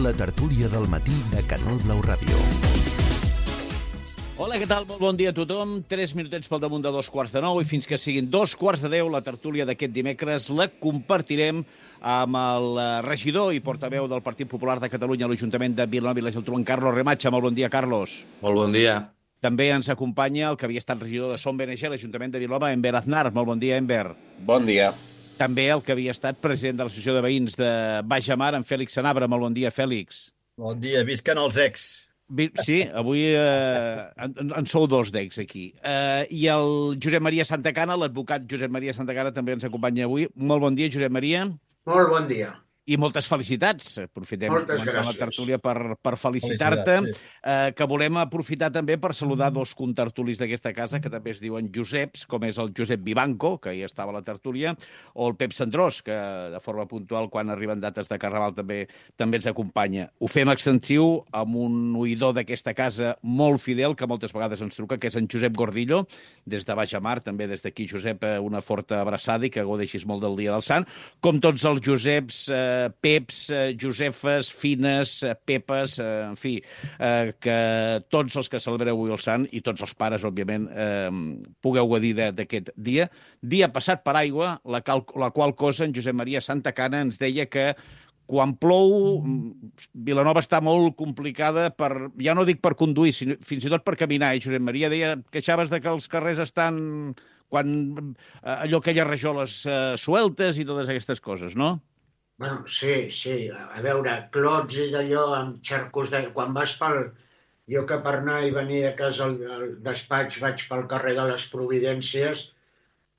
La tertúlia del matí de Canal Blau Ràdio. Hola, què tal? Molt bon dia a tothom. 3 minutets pel damunt de 2:15 i fins que siguin 2:10 la tertúlia d'aquest dimecres la compartirem amb el regidor i portaveu del Partit Popular de Catalunya a l'Ajuntament de Vilanova i la Geltrú, en Carlos Remacha. Molt bon dia, Carlos. Molt bon dia. També ens acompanya el que havia estat regidor de Som BNG a l'Ajuntament de Vilanova, Enver Aznar. Molt bon dia, Enver. Bon dia. També el que havia estat president de l'Associació de Veïns de Baix Amar, en Fèlix Sanabra. Molt bon dia, Fèlix. Bon dia, visquen els ex. Sí, avui en sou dos d'ex aquí. I el Josep Maria Santacana, l'advocat Josep Maria Santacana, també ens acompanya avui. Molt bon dia, Josep Maria. Molt bon dia. I moltes felicitats. Aprofitem Moltes començar la gràcies. tertúlia per felicitar-te, Sí. que volem aprofitar també per saludar dos contertulis d'aquesta casa, que també es diuen Joseps, com és el Josep Vivanco, que ja estava a la tertúlia, o el Pep Cendrós, que de forma puntual, quan arriben dates de Carnaval, també ens acompanya. Ho fem extensiu amb un oïdor d'aquesta casa molt fidel, que moltes vegades ens truca, que és en Josep Gordillo, des de Baix Amar. També des d'aquí, Josep, una forta abraçada i que gaudeixis molt del Dia del Sant. Com tots els Joseps, Peps, Josefes, Fines, Pepes, en fi, que tots els que celebreu avui el Sant i tots els pares, òbviament, pugueu gaudir d'aquest dia. Dia passat per aigua, la qual cosa en Josep Maria Santacana ens deia que quan plou, Vilanova està molt complicada ja no dic per conduir, sinó fins i tot per caminar. Josep Maria deia, queixaves de que els carrers estan allò, aquelles rajoles sueltes i totes aquestes coses, no? Bueno, sí. A veure, clots i d'allò amb xarcos de... Quan vas pel... Jo que per anar i venir de casa al despatx vaig pel carrer de les Providències,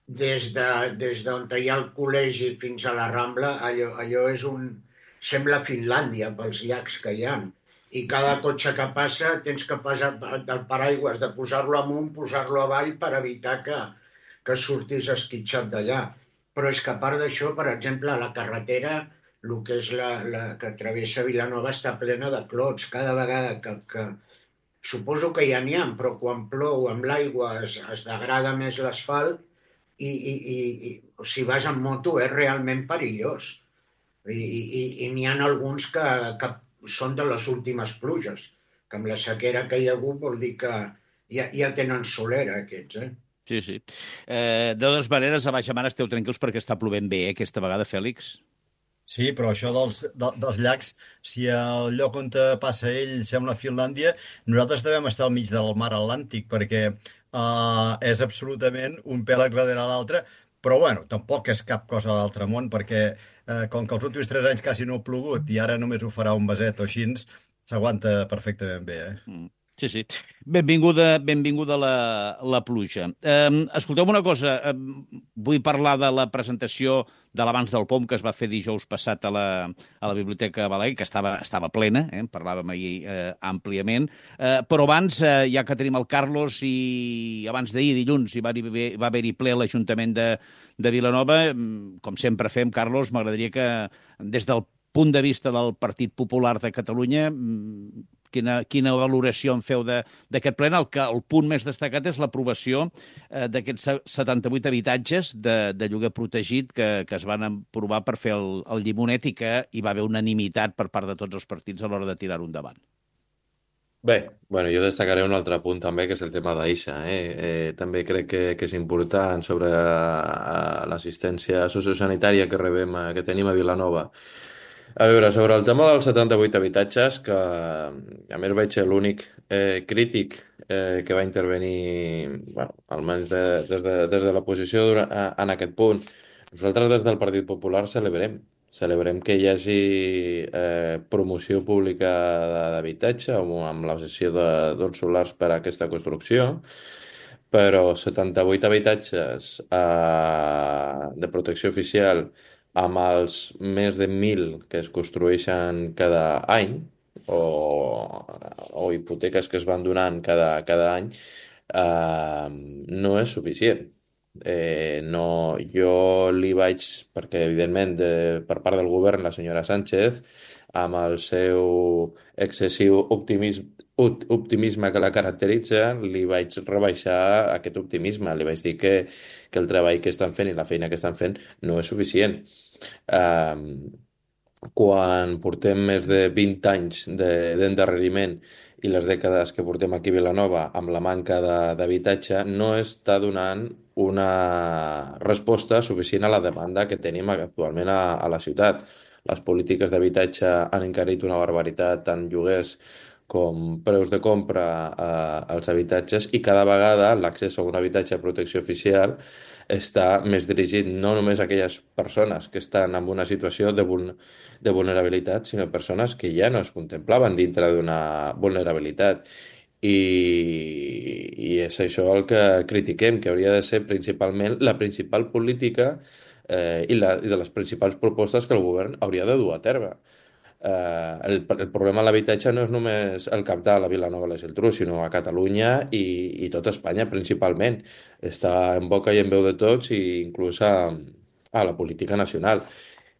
des d'on hi ha el col·legi fins a la Rambla, allò és sembla Finlàndia pels llacs que hi ha. I cada cotxe que passa tens que passar del paraigües, de posar-lo amunt, posar-lo avall per evitar que surtis esquitxat d'allà. Però és que a part d'això, per exemple, a la carretera, el que és la que travessa Vilanova està plena de clots. Cada vegada que suposo que ja n'hi ha, però quan plou amb l'aigua es degrada més l'asfalt i si vas amb moto és realment perillós. I n'hi ha alguns que són de les últimes pluges, que amb la sequera que hi ha hagut vol dir que ja tenen solera aquests, Sí. De totes maneres, a Baix Amar esteu tranquils perquè està plovent bé, aquesta vegada, Fèlix? Sí, però això dels llacs, si el lloc on passa ell sembla Finlàndia, nosaltres devem estar al mig del mar Atlàntic, perquè és absolutament un pèl darrere l'altre, però bueno, tampoc és cap cosa de l'altre món, perquè com que els últims 3 anys quasi no ha plogut i ara només ho farà un meset o així, s'aguanta perfectament bé, Sí. Benvinguda la pluja. Escolteu una cosa, vull parlar de la presentació de l'Abans del POM que es va fer dijous passat a la Biblioteca Balaguer, que estava plena, en parlàvem ahir àmpliament, però abans, ja que tenim el Carlos, i abans d'ahir, dilluns, va haver-hi ple a l'Ajuntament de Vilanova, com sempre fem, Carlos, m'agradaria que des del punt de vista del Partit Popular de Catalunya, quina valoració en feu d'aquest ple? El punt més destacat és l'aprovació d'aquests 78 habitatges de lloguer protegit que es van aprovar per fer el llimonet i que hi va haver unanimitat per part de tots els partits a l'hora de tirar-ho endavant. Bé, bueno, jo destacaré un altre punt també, que és el tema d'Aixa. També crec que és important sobre l'assistència sociosanitària que tenim a Vilanova. A veure, sobre el tema dels 78 habitatges, que a més vaig ser l'únic crític que va intervenir, bueno, almenys des de l'oposició en aquest punt, nosaltres des del Partit Popular celebrem que hi hagi promoció pública d'habitatge amb la cessió d'uns solars per a aquesta construcció, però 78 habitatges de protecció oficial amb els més de 1.000 que es construeixen cada any o hipoteques que es van donant cada any, no és suficient. Jo li vaig, perquè evidentment per part del govern la senyora Sánchez, amb el seu excessiu optimisme que la caracteritza, li vaig rebaixar aquest optimisme. Li vaig dir que el treball que estan fent i la feina que estan fent no és suficient. quan portem més de 20 anys d'endarreriment i les dècades que portem aquí a Vilanova amb la manca d'habitatge, no està donant una resposta suficient a la demanda que tenim actualment a la ciutat. Les polítiques d'habitatge han encarit una barbaritat, tant lloguers com preus de compra als habitatges, i cada vegada l'accés a un habitatge de protecció oficial està més dirigit no només a aquelles persones que estan en una situació de vulnerabilitat, sinó persones que ja no es contemplaven dintre d'una vulnerabilitat. I és això el que critiquem, que hauria de ser principalment la principal política i de les principals propostes que el govern hauria de dur a terme. El problema de l'habitatge no és només el cabdal a Vilanova i la Geltrú, sinó a Catalunya i tot Espanya principalment. Està en boca i en veu de tots, i inclús a la política nacional.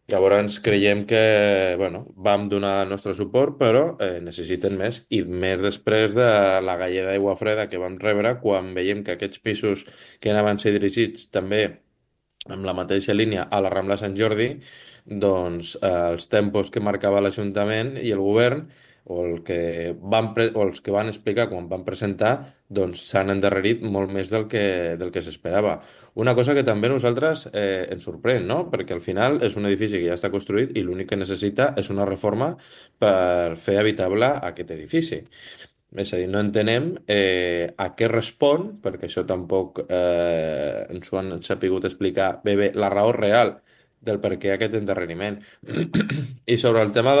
Llavors creiem que bueno, vam donar el nostre suport, però necessiten més, i més després de la galleda d'aigua freda que vam rebre quan veiem que aquests pisos que anaven a ser dirigits també amb la mateixa línia a la Rambla Sant Jordi, doncs els tempos que marcava l'Ajuntament i el govern, o els que van explicar quan van presentar, doncs s'han endarrerit molt més del que s'esperava. Una cosa que també a nosaltres ens sorprèn, no? Perquè al final és un edifici que ja està construït i l'únic que necessita és una reforma per fer habitable aquest edifici. És a dir, no entenem a què respon, perquè això tampoc ens ho han sapigut explicar bé la raó real del per què aquest endarreriment. I sobre el tema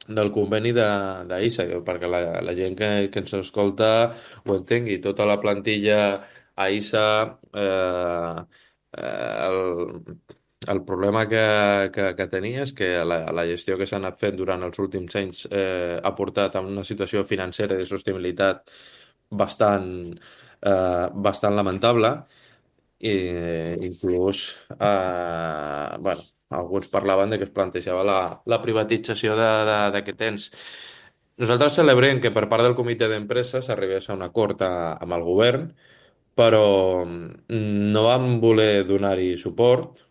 del conveni d'AISA, perquè la gent que ens escolta ho entengui, tota la plantilla AISA, el problema que tenia és que la gestió que s'ha anat fent durant els últims anys ha portat a una situació financera de sostenibilitat bastant lamentable, i inclús bueno, alguns parlaven de que es plantejava la privatització d'aquest ens. Nosaltres celebrem que per part del comitè d'empresa s'arribés a un acord amb el govern, però no vam voler donar-hi suport.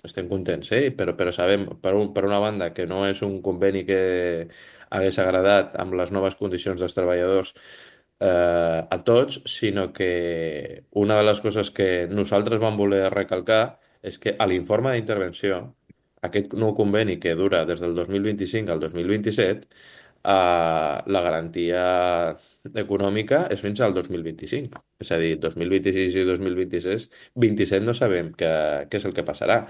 Estem contents, però sabem, per una banda, que no és un conveni que hagués agradat amb les noves condicions dels treballadors a tots, sinó que una de les coses que nosaltres vam voler recalcar és que a l'informe d'intervenció, aquest nou conveni que dura des del 2025 al 2027, la garantia econòmica és fins al 2025. És a dir, 2026 i 2026, 27 no sabem què és el que passarà.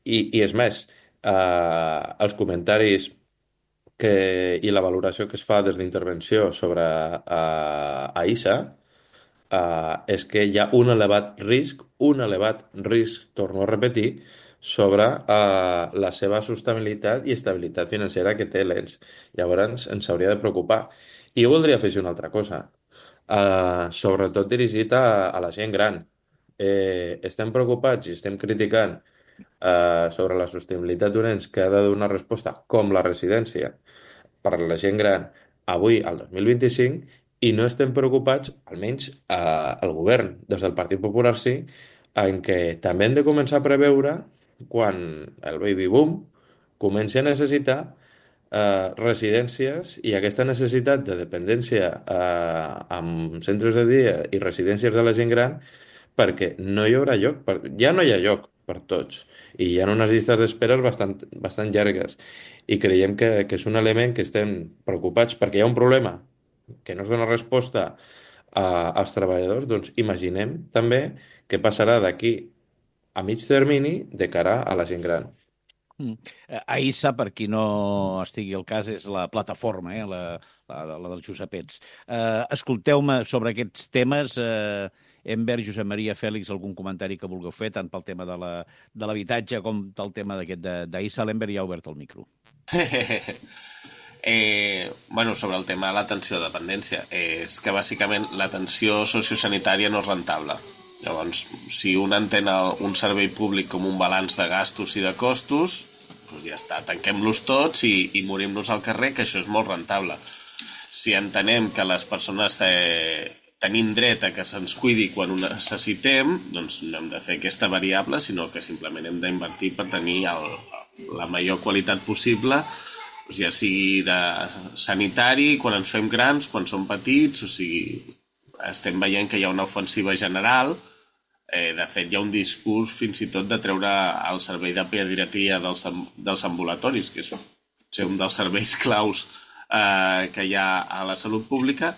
I és més, els comentaris i la valoració que es fa des d'intervenció sobre AISA és que hi ha un elevat risc, torno a repetir, sobre la seva sostenibilitat i estabilitat financera que té l'ENS. Llavors ens hauria de preocupar. I jo voldria afegir una altra cosa, sobretot dirigit a la gent gran. Estem preocupats i estem criticant sobre la sostenibilitat d'un ens que ha de donar resposta, com la residència, per a la gent gran avui, al 2025, i no estem preocupats, almenys el govern, des del Partit Popular sí, en què també hem de començar a preveure quan el baby boom comenci a necessitar residències, i aquesta necessitat de dependència amb centres de dia i residències de la gent gran, perquè no hi haurà lloc, ja no hi ha lloc per tots, i hi ha unes llistes d'espera bastant llargues, i creiem que és un element que estem preocupats perquè hi ha un problema que no es dona resposta als treballadors. Doncs imaginem també què passarà d'aquí a mig termini de cara a la gent gran. AISA, per qui no estigui al cas, és la plataforma, la dels Josepets. Escolteu-me sobre aquests temes. Envers Josep Maria, Fèlix, algun comentari que vulgueu fer, tant pel tema de l'habitatge com pel tema d'aquest d'AISA. L'Enver ja ha obert el micro. Bueno, sobre el tema de l'atenció a dependència, és que bàsicament l'atenció sociosanitària no és rentable. Llavors, si un entén un servei públic com un balanç de gastos i de costos, doncs ja està, tanquem-los tots i morim-nos al carrer, que això és molt rentable. Si entenem que les persones tenim dret a que se'ns cuidi quan ho necessitem, doncs no hem de fer aquesta variable, sinó que simplement hem d'invertir per tenir la major qualitat possible, doncs ja sigui de sanitari, quan ens fem grans, quan som petits, o sigui, estem veient que hi ha una ofensiva general. De fet, hi ha un discurs fins i tot de treure el servei de pediatria dels ambulatoris, que és potser un dels serveis claus que hi ha a la salut pública.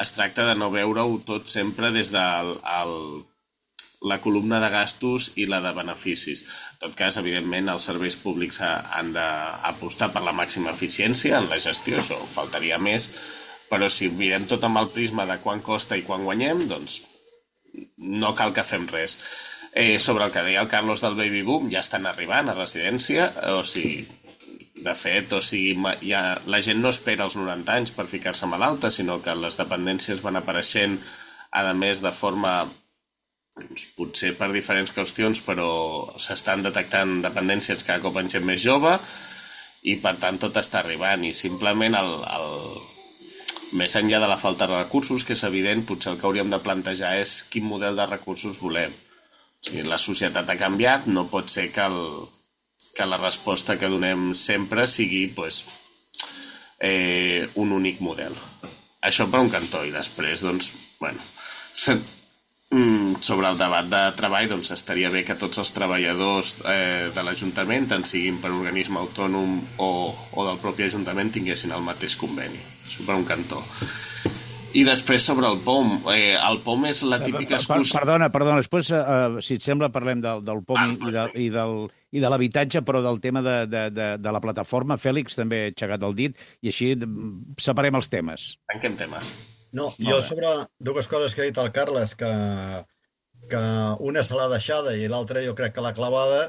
Es tracta de no veure-ho tot sempre des de la columna de gastos i la de beneficis. En tot cas, evidentment, els serveis públics han d'apostar per la màxima eficiència en la gestió, això faltaria més, però si mirem tot amb el prisma de quan costa i quan guanyem, doncs no cal que fem res. Sobre el que deia el Carlos del baby boom, ja estan arribant a residència, o sigui, de fet, la gent no espera els 90 anys per ficar-se malalta, sinó que les dependències van apareixent, a més, de forma, potser per diferents qüestions, però s'estan detectant dependències cada cop en gent més jove, i per tant tot està arribant, i simplement més enllà de la falta de recursos, que és evident, potser el que hauríem de plantejar és quin model de recursos volem. O sigui, la societat ha canviat, no pot ser que la resposta que donem sempre sigui un únic model. Això per un cantó, i després, doncs, sobre el debat de treball, doncs estaria bé que tots els treballadors de l'Ajuntament, tant siguin per organisme autònom o del propi Ajuntament, tinguessin el mateix conveni. Això per un cantó. I després sobre el POM. El POM és la típica excusa... Perdona, després, si et sembla, parlem del POM i de l'habitatge, però del tema de la plataforma. Fèlix també ha aixecat el dit, i així separem els temes. Tanquem temes. No, jo sobre dues coses que ha dit el Carles, que una se l'ha deixada i l'altra jo crec que l'ha clavada.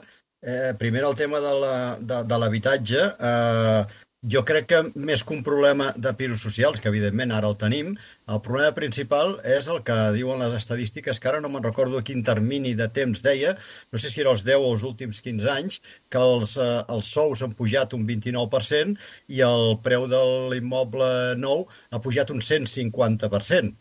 Primer el tema de l'habitatge. Jo crec que més que un problema de pisos socials, que evidentment ara el tenim, el problema principal és el que diuen les estadístiques, que ara no me'n recordo a quin termini de temps deia, no sé si era els 10 o els últims 15 anys, que els sous han pujat un 29% i el preu de l'immoble nou ha pujat un 150%.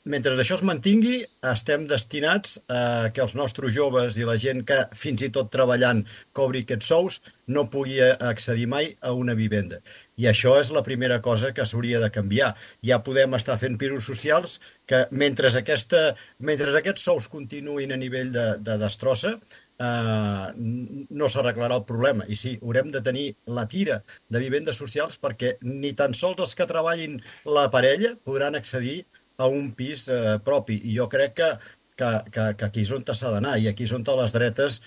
Mentre això es mantingui, estem destinats a que els nostres joves i la gent que fins i tot treballant cobri aquests sous no pugui accedir mai a una vivenda. I això és la primera cosa que s'hauria de canviar. Ja podem estar fent pisos socials que mentre aquests sous continuïn a nivell de destrossa, no s'arreglarà el problema. I sí, haurem de tenir la tira de vivendes socials perquè ni tan sols els que treballin la parella podran accedir a un pis propi. I jo crec que aquí és on s'ha d'anar, i aquí és on les dretes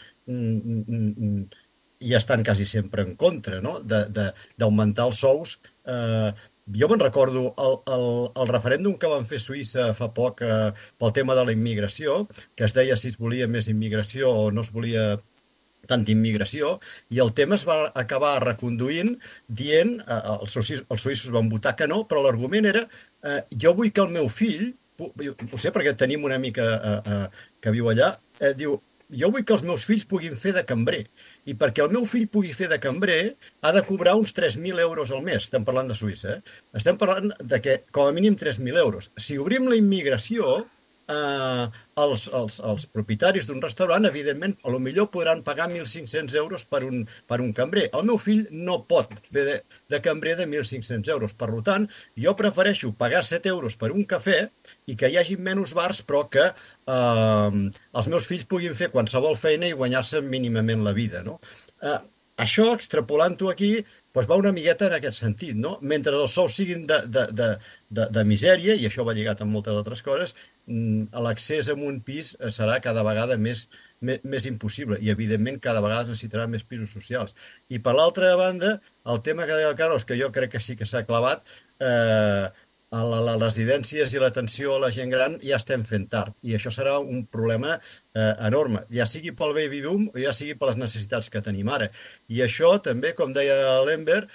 ja estan quasi sempre en contra, no? D'augmentar els sous. Jo me'n recordo el referèndum que van fer a Suïssa fa poc pel tema de la immigració, que es deia si es volia més immigració o no es volia tanta immigració, i el tema es va acabar reconduint dient, els suïssos van votar que no, però l'argument era jo vull que el meu fill, ho sé perquè tenim una amiga que viu allà, diu, jo vull que els meus fills puguin fer de cambrer, i perquè el meu fill pugui fer de cambrer ha de cobrar uns 3.000 euros al mes. Estem parlant de Suïssa, Estem parlant de que com a mínim 3.000 euros. Si obrim la immigració, els propietaris d'un restaurant, evidentment, a lo millor podran pagar 1.500 euros per un cambrer. El meu fill no pot fer de cambrer de 1.500 euros. Per tant, jo prefereixo pagar 7 euros per un cafè i que hi hagi menys bars, però que els meus fills puguin fer qualsevol feina i guanyar-se mínimament la vida, no? Això, extrapolant-ho aquí, va una miqueta en aquest sentit, no? Mentre els sous siguin de misèria, i això va lligat amb moltes altres coses, l'accés a un pis serà cada vegada més impossible, i evidentment cada vegada es necessitarà més pisos socials. I per l'altra banda, el tema que deia el Carlos, que jo crec que sí que s'ha clavat, a les residències i l'atenció a la gent gran ja estem fent tard, i això serà un problema enorme, ja sigui pel baby boom o ja sigui per les necessitats que tenim ara. I això també, com deia l'Enver,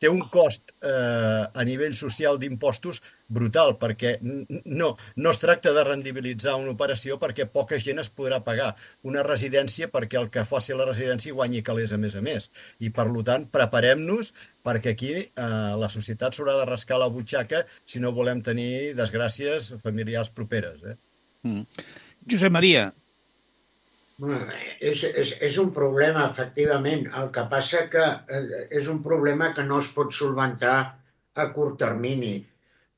té un cost a nivell social d'impostos brutal, perquè no es tracta de rendibilitzar una operació perquè poca gent es podrà pagar una residència perquè el que faci la residència guanyi calés a més. I, per tant, preparem-nos perquè aquí la societat s'haurà de rascar la butxaca si no volem tenir desgràcies familiars properes. Josep Maria. Bueno, és un problema, efectivament. El que passa que és un problema que no es pot solventar a curt termini.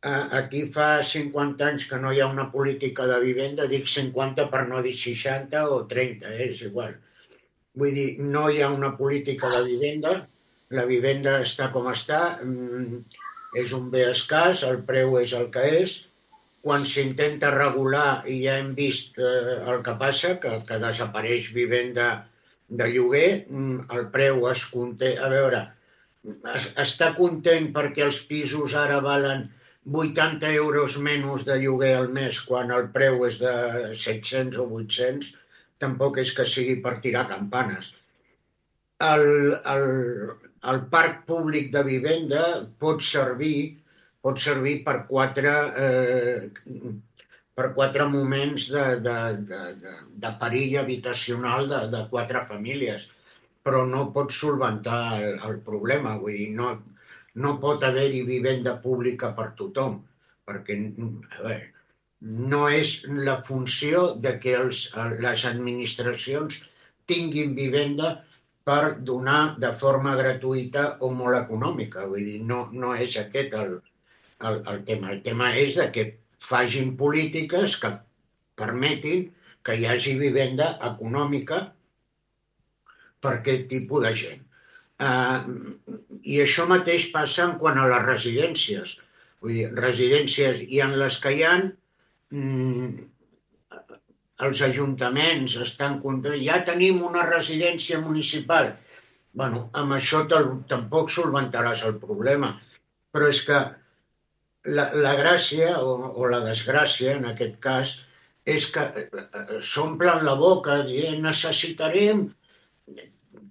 Aquí fa 50 anys que no hi ha una política de vivenda, dic 50 per no dir 60 o 30, és igual. Vull dir, no hi ha una política de vivenda, la vivenda està com està, és un bé escàs, el preu és el que és. Quan s'intenta regular, i ja hem vist el que passa, que desapareix vivenda de lloguer, el preu es conté. A veure, està content perquè els pisos ara valen 80 euros menys de lloguer al mes quan el preu és de 700 o 800, tampoc és que sigui per tirar campanes. El, el, el parc públic de vivenda pot servir per quatre moments de perill habitacional de quatre famílies, però no pot solventar el problema. Vull dir, no pot haver-hi vivenda pública per tothom, perquè a veure, no és la funció de que les administracions tinguin vivenda per donar de forma gratuïta o molt econòmica. Vull dir, no és aquest el tema. El tema és de que facin polítiques que permetin que hi hagi vivenda econòmica per aquest tipus de gent. I això mateix passa en quant a les residències. Vull dir, residències hi ha les que hi ha, els ajuntaments estan contents, ja tenim una residència municipal. Bueno, amb això tampoc solventaràs el problema, però és que la gràcia o la desgràcia, en aquest cas, és que s'omplen la boca dient necessitarem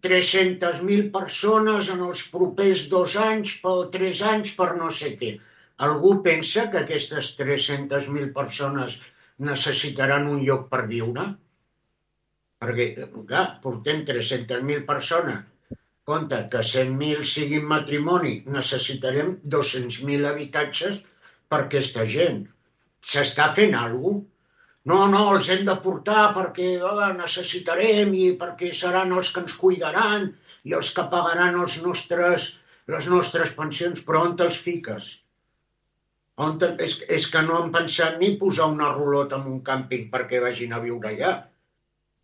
300.000 persones en els propers 2 anys o 3 anys per no sé què. Algú pensa que aquestes 300.000 persones necessitaran un lloc per viure? Perquè, clar, portem 300.000 persones. Compte que 100.000 siguin matrimoni, necessitarem 200.000 habitatges per aquesta gent. S'està fent alguna cosa? No, els hem de portar perquè necessitarem i perquè seran els que ens cuidaran i els que pagaran les nostres pensions. Però on te'ls fiques? És que no han pensat ni posar una rulota en un càmping perquè vagin a viure allà.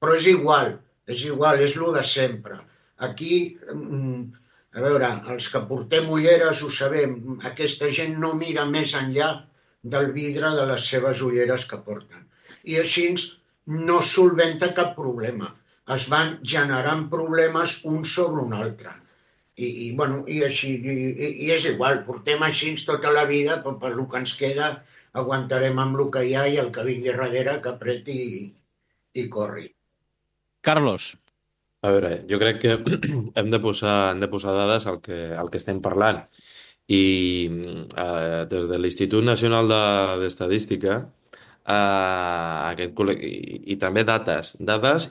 Però és igual, és lo de sempre. Aquí, a veure, els que portem ulleres ho sabem, aquesta gent no mira més enllà del vidre de les seves ulleres que porten. I així no solventa cap problema. Es van generant problemes un sobre un altre. I així, i és igual, portem així tota la vida, però per el que ens queda aguantarem amb el que hi ha i el que vingui darrere que apreti i corri. Carlos. A veure, jo crec que hem de posar dades al que estem parlant. I des de l'Institut Nacional d'Estadística, i també dates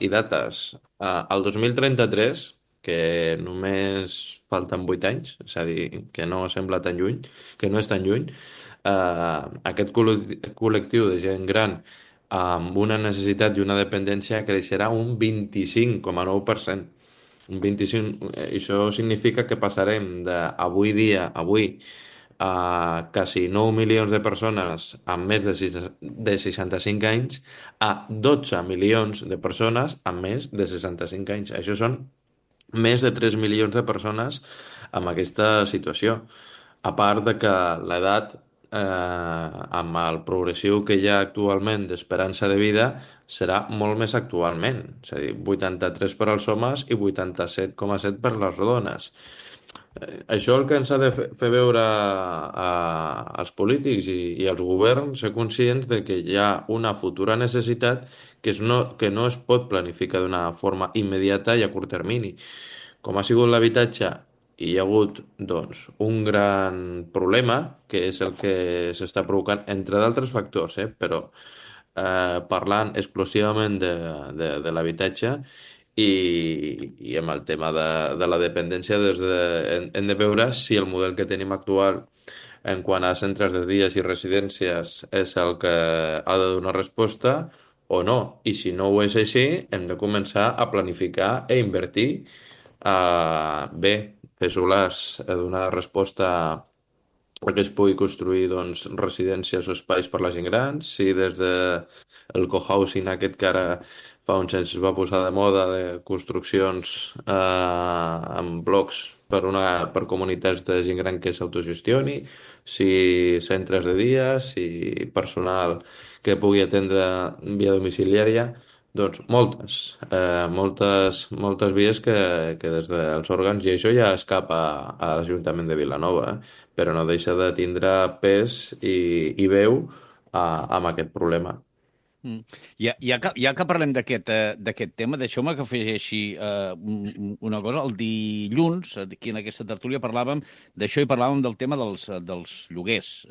i dates. El 2033, que només falten 8 anys, és a dir, que no sembla tan lluny, que no és tan lluny, aquest col·lectiu de gent gran amb una necessitat i una dependència creixerà un 25,9%. Un 25, això significa que passarem avui a quasi 9 milions de persones amb més de 65 anys a 12 milions de persones amb més de 65 anys. Això són més de 3 milions de persones amb aquesta situació. A part de que l'edat, amb el progressiu que hi ha actualment d'esperança de vida, serà molt més actualment. És a dir, 83 per als homes i 87,7 per les dones. Això el que ens ha de fer veure als polítics i als governs, ser conscients de que hi ha una futura necessitat que no es pot planificar d'una forma immediata i a curt termini. Com ha sigut l'habitatge, hi ha hagut un gran problema, que és el que s'està provocant, entre d'altres factors, però parlant exclusivament de l'habitatge, i amb el tema de la dependència hem de veure si el model que tenim actual en quant a centres de dies i residències és el que ha de donar resposta o no. I si no ho és així, hem de començar a planificar i invertir bé, fer solars, a donar resposta perquè es pugui construir doncs, residències o espais per la gent gran, si des de el cohousing aquest que ara fa uns anys es va posar de moda de construccions en blocs per comunitats de gent gran que s'autogestioni, si centres de dia, si personal que pugui atendre via domiciliària, doncs moltes vies que des dels òrgans, i això ja escapa a l'Ajuntament de Vilanova, però no deixa de tindre pes i veu amb aquest problema. Ja que parlem d'aquest tema, deixeu-me que afegeixi una cosa. El dilluns, aquí en aquesta tertúlia, parlàvem d'això i parlàvem del tema dels lloguers.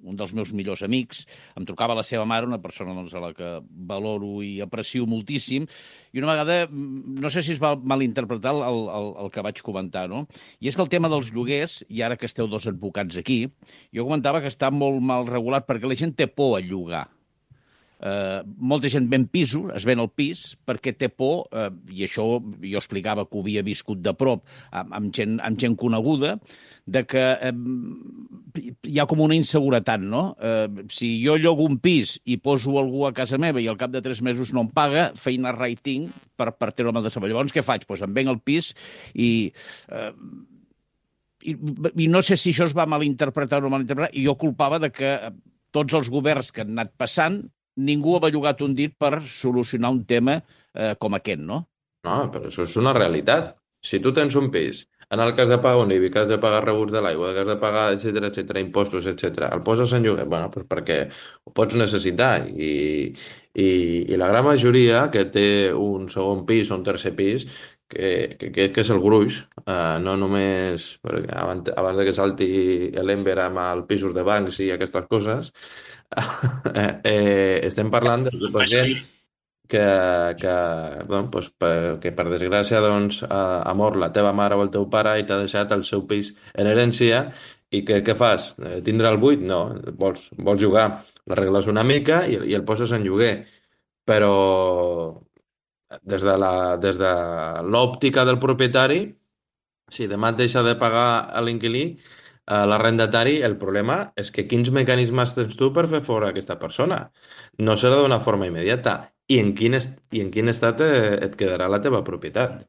Un dels meus millors amics em trucava la seva mare, una persona doncs, a la que valoro i aprecio moltíssim, i una vegada, no sé si es va malinterpretar el que vaig comentar, no? I és que el tema dels lloguers, i ara que esteu dos advocats aquí, jo comentava que està molt mal regulat perquè la gent té por a llogar. Molta gent ven pisos, es ven el pis, perquè té por, i això jo explicava que ho havia viscut de prop amb gent coneguda, de que hi ha com una inseguretat, no? Si jo llogo un pis i poso algú a casa meva i al cap de 3 mesos no em paga, feina rating per treure-me'l de sobre. Llavors, què faig? Doncs em venc el pis i no sé si això es va malinterpretar o no malinterpretar, i jo culpava de que tots els governs que han anat passant ningú ha bellugat un dit per solucionar un tema com aquest, no? No, però això és una realitat. Si tu tens un pis, en el cas de pagar un IBI, que has de pagar rebuts de l'aigua, que has de pagar, etcètera, impostos, etcètera, el poses en lloguer, bueno, doncs perquè ho pots necessitar. I la gran majoria que té un segon pis o un tercer pis, que és el gruix, no només perquè abans de que salti l'Ember amb els pisos de bancs i aquestes coses, estem parlant de gent que per desgràcia doncs, ha mort la teva mare o el teu pare i t'ha deixat el seu pis en herència i què fas? Tindre el buit? No, vols jugar. L'arregles una mica i el poses en lloguer. Però des de l'òptica del propietari, si demà et deixa de pagar a l'inquilí, l'arrendatari, el problema és que quins mecanismes tens tu per fer fora aquesta persona? No serà d'una forma immediata. I en quin estat et quedarà la teva propietat?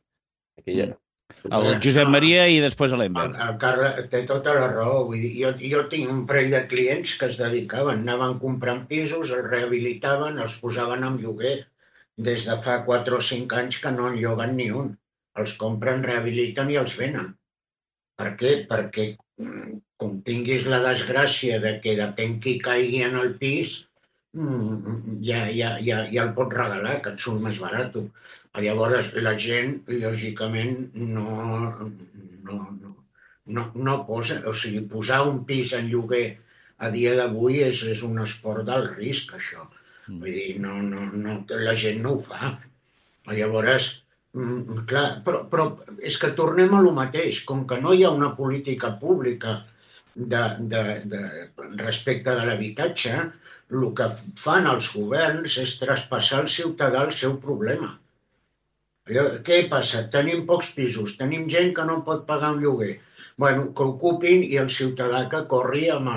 Aquí ja... El Josep Maria i després l'Ember. El Carles té tota la raó. Vull dir, jo tinc un parell de clients que es dedicaven, anaven comprant pisos, els rehabilitaven, els posaven en lloguer. Des de fa 4 o 5 anys que no en lloguen ni un. Els compren, rehabiliten i els venen. Per què? Perquè com tinguis la desgràcia de que depèn qui caigui en el pis, ja el pots regalar, que et surt més barat. Llavors la gent, lògicament, no posa... O sigui, posar un pis en lloguer a dia d'avui és un esport d'alt risc, això. Vull dir, la gent no ho fa. Llavors, clar, però és que tornem a lo mateix. Com que no hi ha una política pública respecte de l'habitatge, el que fan els governs és traspassar al ciutadà el seu problema. Què passa? Tenim pocs pisos, tenim gent que no pot pagar un lloguer. Bueno, que ocupin i el ciutadà que corri amb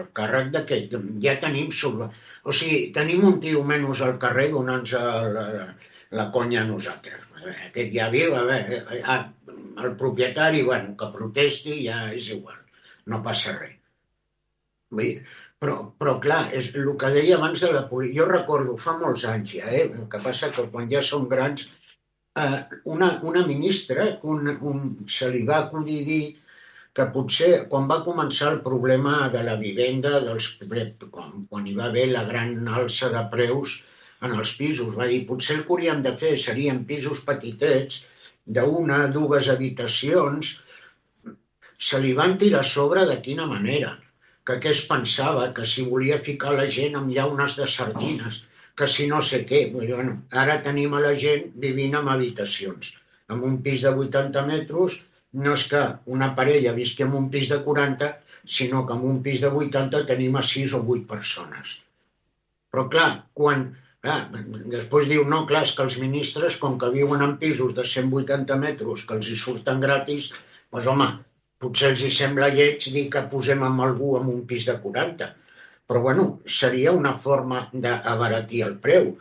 el càrrec de que ja tenim... O sigui, tenim un tio menys al carrer donant-nos la conya a nosaltres. Aquest ja viu, el propietari, bueno, que protesti ja és igual, no passa res. Però clar, és el que deia abans de la política. Jo recordo, fa molts anys ja, el que passa que quan ja som grans, una ministra se li va acudir dir que potser quan va començar el problema de la vivenda, quan hi va haver la gran alça de preus en els pisos, va dir potser el que hauríem de fer serien pisos petitets, d'una, 2 habitacions. Se li van tirar a sobre de quina manera, que què es pensava, que si volia ficar la gent amb llaunes de sardines, que si no sé què. Bueno, ara tenim a la gent vivint en habitacions. En un pis de 80 metres, no és que una parella visqui en un pis de 40, sinó que en un pis de 80 tenim a 6 o 8 persones. Però clar, quan Clar, després diu, no, clar, és que els ministres, com que viuen en pisos de 180 metres que els hi surten gratis, doncs home, potser els hi sembla lleig dir que posem amb algú en un pis de 40. Però bueno, seria una forma d'abaratir el preu.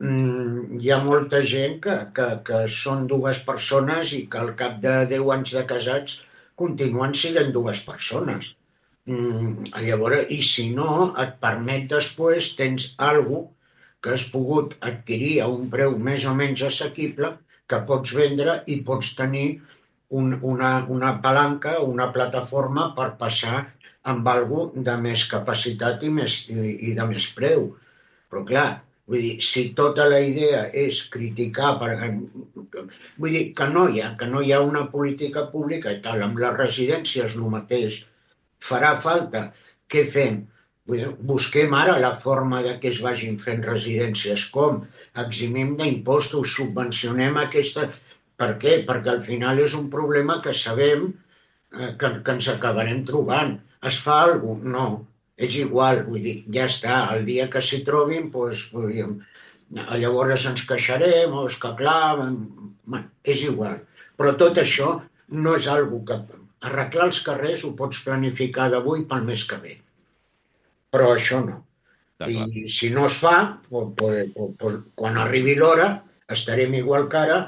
Hi ha molta gent que són dues persones i que al cap de 10 anys de casats continuen sent dues persones. Llavors, i si no, et permet després, tens alguna cosa que has pogut adquirir a un preu més o menys assequible, que pots vendre i pots tenir una palanca, una plataforma per passar amb alguna de més capacitat i de més preu. Però clar, vull dir, si tota la idea és criticar, vull dir que no hi ha una política pública i tal, amb les residències el mateix, farà falta. Què fem? Busquem ara la forma de que es vagin fent residències. Com? Eximim d'impostos, subvencionem aquesta... Per què? Perquè al final és un problema que sabem que ens acabarem trobant. Es fa alguna cosa? No. És igual, vull dir, ja està. El dia que s'hi trobin, doncs, llavors ens queixarem, o és que clar... És igual. Però tot això no és algo que... Arreglar els carrers ho pots planificar d'avui pel mes que ve. Però això no. I si no es fa, quan arribi l'hora, estarem igual que ara,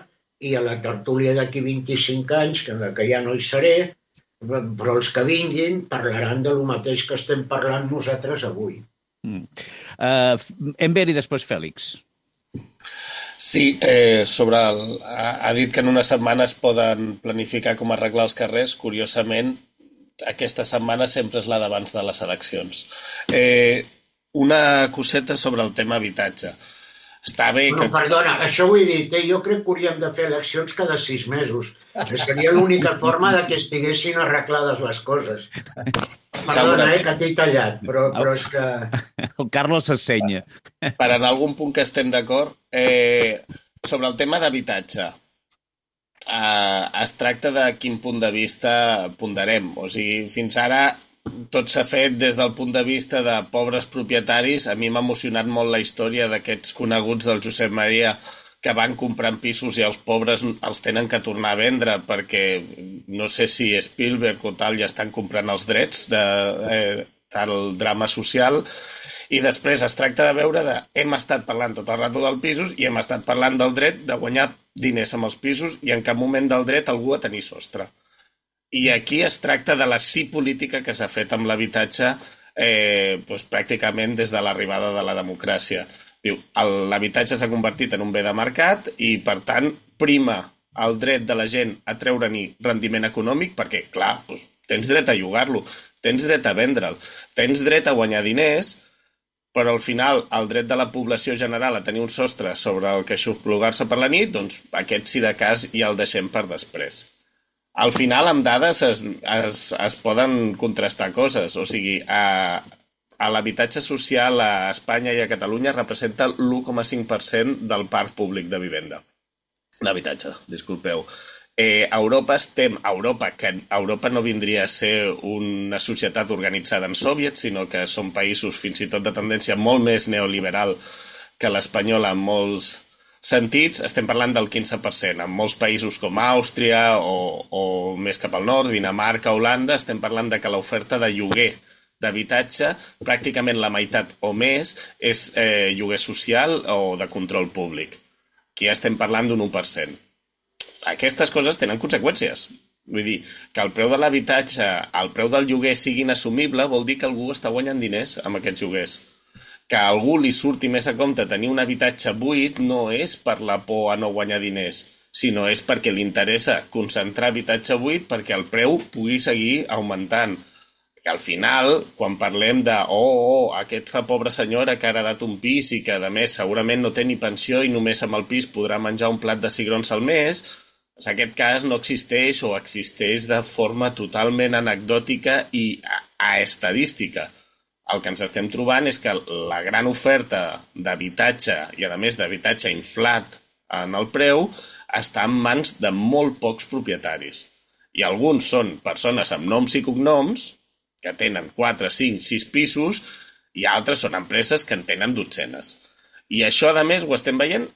i a la tertúlia d'aquí 25 anys, que ja no hi seré, però els que vinguin parlaran del mateix que estem parlant nosaltres avui. Enver i després Fèlix. Sí, ha dit que en una setmana es poden planificar com arreglar els carrers. Curiosament, aquesta setmana sempre és la d'abans de les eleccions. Una coseta sobre el tema habitatge. Està bé que... Perdona, això ho he dit, jo crec que hauríem de fer eleccions cada 6 mesos. Seria l'única forma de que estiguessin arreglades les coses. Perdona, que t'he tallat, però és que... El Carlos s'assenya. Per en algun punt que estem d'acord, sobre el tema d'habitatge, es tracta de quin punt de vista ponderem. O sigui, fins ara tot s'ha fet des del punt de vista de pobres propietaris. A mi m'ha emocionat molt la història d'aquests coneguts del Josep Maria que van comprant pisos i els pobres els tenen que tornar a vendre perquè no sé si Spielberg o tal ja estan comprant els drets del drama social. I després es tracta de veure hem estat parlant tot el rato dels pisos i hem estat parlant del dret de guanyar diners amb els pisos i en cap moment del dret algú a tenir sostre. I aquí es tracta de la política que s'ha fet amb l'habitatge pràcticament des de l'arribada de la democràcia. Diu, l'habitatge s'ha convertit en un bé de mercat i, per tant, prima el dret de la gent a treure-n'hi rendiment econòmic perquè, clar, tens dret a llogar-lo, tens dret a vendre'l, tens dret a guanyar diners, però al final el dret de la població general a tenir un sostre sobre el que xofplugar-se per la nit, doncs aquest, si de cas, ja el deixem per després. Al final, amb dades es poden contrastar coses, o sigui, l'habitatge social a Espanya i a Catalunya representa l'1,5% del parc públic de vivenda. L'habitatge, disculpeu. Europa no vindria a ser una societat organitzada en soviets, sinó que són països fins i tot de tendència molt més neoliberal que l'espanyola en molts sentits. Estem parlant del 15%. En molts països com Àustria o més cap al nord, Dinamarca, Holanda, estem parlant de que l'oferta de lloguer d'habitatge, pràcticament la meitat o més és lloguer social o de control públic. Aquí estem parlant d'un 1%. Aquestes coses tenen conseqüències. Vull dir, que el preu de l'habitatge, el preu del lloguer siguin assumible, vol dir que algú està guanyant diners amb aquests lloguers. Que a algú li surti més a compte tenir un habitatge buit no és per la por a no guanyar diners, sinó és perquè li interessa concentrar habitatge buit perquè el preu pugui seguir augmentant. Que al final, quan parlem de aquesta pobra senyora que ha heredat un pis i que a més segurament no té ni pensió i només amb el pis podrà menjar un plat de cigrons al mes, doncs aquest cas no existeix o existeix de forma totalment anecdòtica i estadística. El que ens estem trobant és que la gran oferta d'habitatge i a més d'habitatge inflat en el preu està en mans de molt pocs propietaris. I alguns són persones amb noms i cognoms que tenen 4, 5, 6 pisos i altres són empreses que en tenen dotzenes. I això, a més, ho estem veient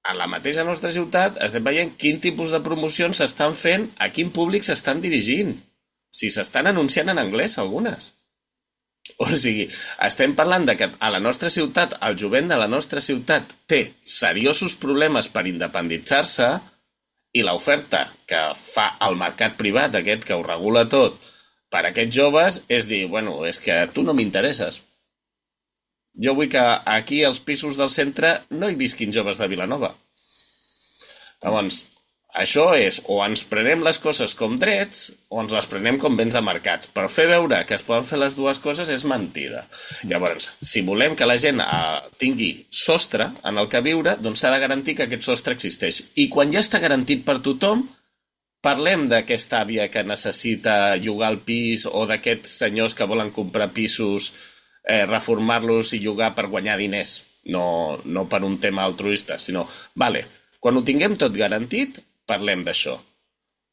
a la mateixa nostra ciutat, estem veient quin tipus de promocions s'estan fent, a quin públic s'estan dirigint. Si s'estan anunciant en anglès, algunes. O sigui, estem parlant de que a la nostra ciutat, el jovent de la nostra ciutat té seriosos problemes per independitzar-se i l'oferta que fa el mercat privat, aquest que ho regula tot, per a aquests joves és dir, bueno, és que tu no m'interesses. Jo vull que aquí als pisos del centre no hi visquin joves de Vilanova. Llavors, això és, o ens prenem les coses com drets o ens les prenem com béns de mercat. Però fer veure que es poden fer les dues coses és mentida. Llavors, si volem que la gent tingui sostre en el que viure, doncs s'ha de garantir que aquest sostre existeix. I quan ja està garantit per tothom, parlem d'aquesta àvia que necessita llogar el pis o d'aquests senyors que volen comprar pisos, reformar-los i llogar per guanyar diners. No per un tema altruista, sinó, quan ho tinguem tot garantit, parlem d'això.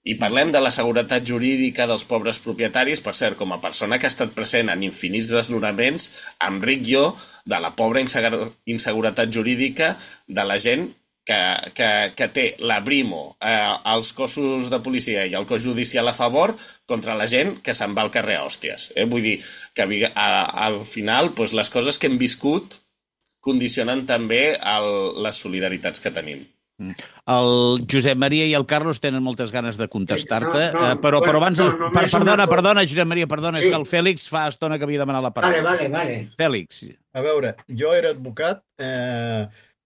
I parlem de la seguretat jurídica dels pobres propietaris. Per cert, com a persona que ha estat present en infinits desnonaments, em ric jo de la pobra inseguretat jurídica de la gent que té la Brimo, els cossos de policia i el cos judicial a favor contra la gent que se'n va al carrer a hòsties. Vull dir que al final les coses que hem viscut condicionen també les solidaritats que tenim. El Josep Maria i el Carlos tenen moltes ganes de contestar-te, però abans... Perdona, Josep Maria, perdona, és que el Fèlix fa estona que havia demanat la paraula. Vale. Fèlix. A veure, jo era advocat,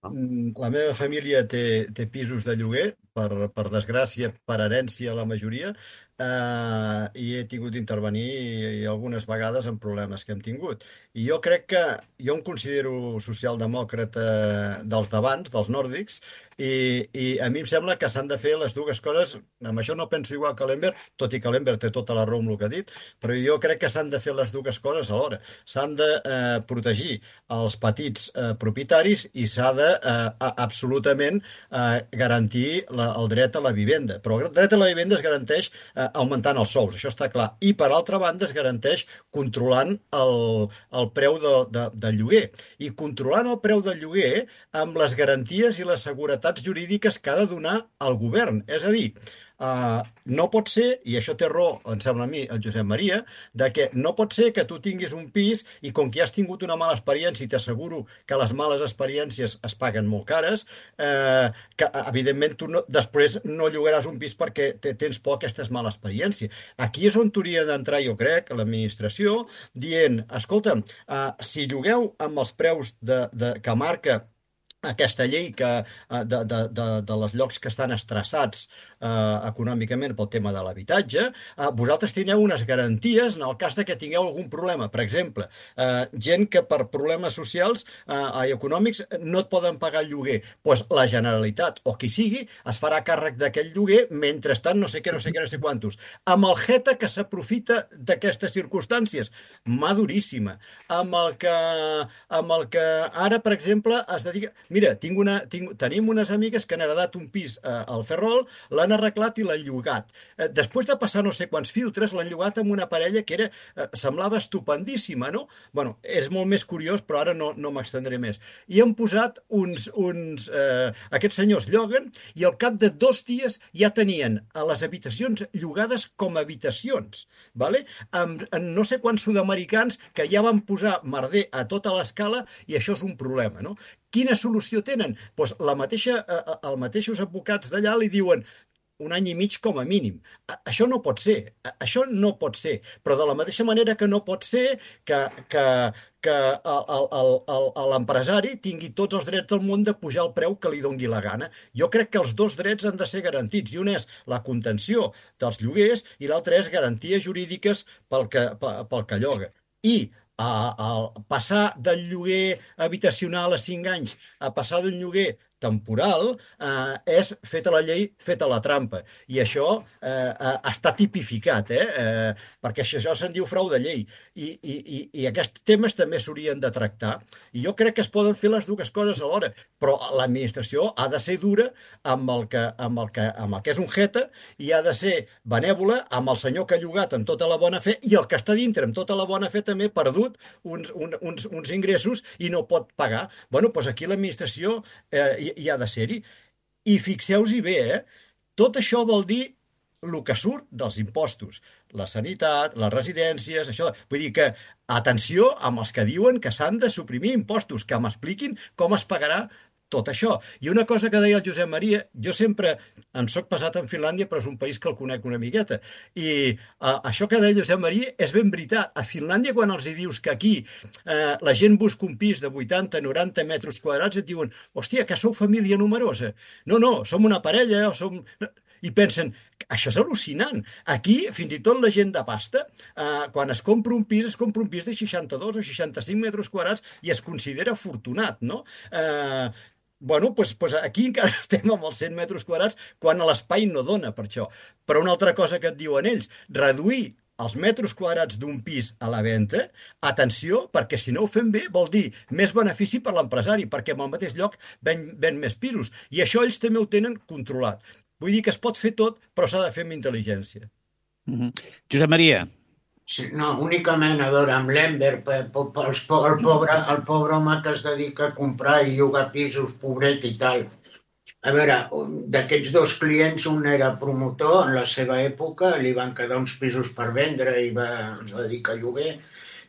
la meva família té pisos de lloguer, per desgràcia, per herència la majoria, i he tingut d'intervenir algunes vegades en problemes que hem tingut. I jo crec que jo em considero socialdemòcrata dels d'abans, dels nòrdics, i a mi em sembla que s'han de fer les dues coses. Amb això no penso igual que l'Enver, tot i que l'Enver té tota la raó amb el que ha dit, però jo crec que s'han de fer les dues coses alhora. S'han de protegir els petits propietaris i s'ha de absolutament garantir el dret a la vivenda. Però el dret a la vivenda es garanteix augmentant els sous, això està clar. I, per altra banda, es garanteix controlant el preu del lloguer. I controlant el preu del lloguer amb les garanties i les seguretats jurídiques que ha de donar el govern. És a dir, no pot ser, i això té raó, em sembla a mi, el Josep Maria, de que no pot ser que tu tinguis un pis i com que has tingut una mala experiència, i t'asseguro que les males experiències es paguen molt cares, que evidentment tu després no llogaràs un pis perquè tens por a aquesta mala experiència. Aquí és on hauria d'entrar, jo crec, l'administració, dient, escolta'm, si llogueu amb els preus que marca aquesta llei de les llocs que estan estressats econòmicament pel tema de l'habitatge, vosaltres teniu unes garanties en el cas de que tingueu algun problema. Per exemple, gent que per problemes socials i econòmics no et poden pagar el lloguer. Doncs la Generalitat, o qui sigui, es farà càrrec d'aquell lloguer mentrestant no sé què, no sé quantos. Amb el Geta que s'aprofita d'aquestes circumstàncies. Mà duríssima. Amb el que ara, per exemple, es dedica... Mira, tenim unes amigues que han heredat un pis al Ferrol, l'han arreglat i l'han llogat. Després de passar no sé quants filtres, l'han llogat amb una parella que semblava estupendíssima, no? Bueno, és molt més curiós, però ara no m'extendré més. I han posat aquests senyors lloguen i al cap de 2 dies ja tenien a les habitacions llogades com a habitacions, ¿vale? Amb no sé quants sud-americans que ja van posar merder a tota l'escala i això és un problema, no? Quina solució tenen? Doncs els mateixos advocats d'allà li diuen 1 any i mig com a mínim. Això no pot ser. Això no pot ser. Però de la mateixa manera que no pot ser que l'empresari tingui tots els drets del món de pujar el preu que li dongui la gana. Jo crec que els 2 drets han de ser garantits. I un és la contenció dels lloguers i l'altre és garanties jurídiques pel que lloga. I passar del lloguer habitacional a 5 anys a passar d'un lloguer temporal és feta la llei, feta la trampa. I això està tipificat, perquè això se'n diu frau de llei. I aquests temes també s'haurien de tractar. I jo crec que es poden fer les dues coses alhora, però l'administració ha de ser dura amb el que és un jeta i ha de ser benèvola amb el senyor que ha llogat amb tota la bona fe i el que està dintre amb tota la bona fe també perdut uns ingressos i no pot pagar. Bueno, doncs aquí l'administració hi ha de ser-hi. I fixeu-hi bé, tot això vol dir el que surt dels impostos. La sanitat, les residències, això. Vull dir que, atenció amb els que diuen que s'han de suprimir impostos, que m'expliquin com es pagarà tot això. I una cosa que deia el Josep Maria, jo sempre em soc passat en Finlàndia, però és un país que el conec una miqueta. I això que deia el Josep Maria és ben veritat. A Finlàndia, quan els hi dius que aquí la gent busca un pis de 80-90 metres quadrats, et diuen, hòstia, que sou família numerosa. No, som una parella, o som... I pensen, això és al·lucinant. Aquí, fins i tot la gent de pasta, quan es compra un pis de 62 o 65 metres quadrats i es considera afortunat, no? Bueno, doncs aquí encara estem amb els 100 metres quadrats quan l'espai no dona per això. Però una altra cosa que et diuen ells, reduir els metres quadrats d'un pis a la venda, atenció, perquè si no ho fem bé vol dir més benefici per l'empresari, perquè en el mateix lloc ven més pisos. I això ells també ho tenen controlat. Vull dir que es pot fer tot, però s'ha de fer amb intel·ligència. Josep Maria. Sí, no, únicament, a veure, amb l'Enver, el pobre home que es dedica a comprar i llogar pisos, pobret i tal. A veure, d'aquests dos clients, un era promotor en la seva època, li van quedar uns pisos per vendre i es va dedicar a lloguer,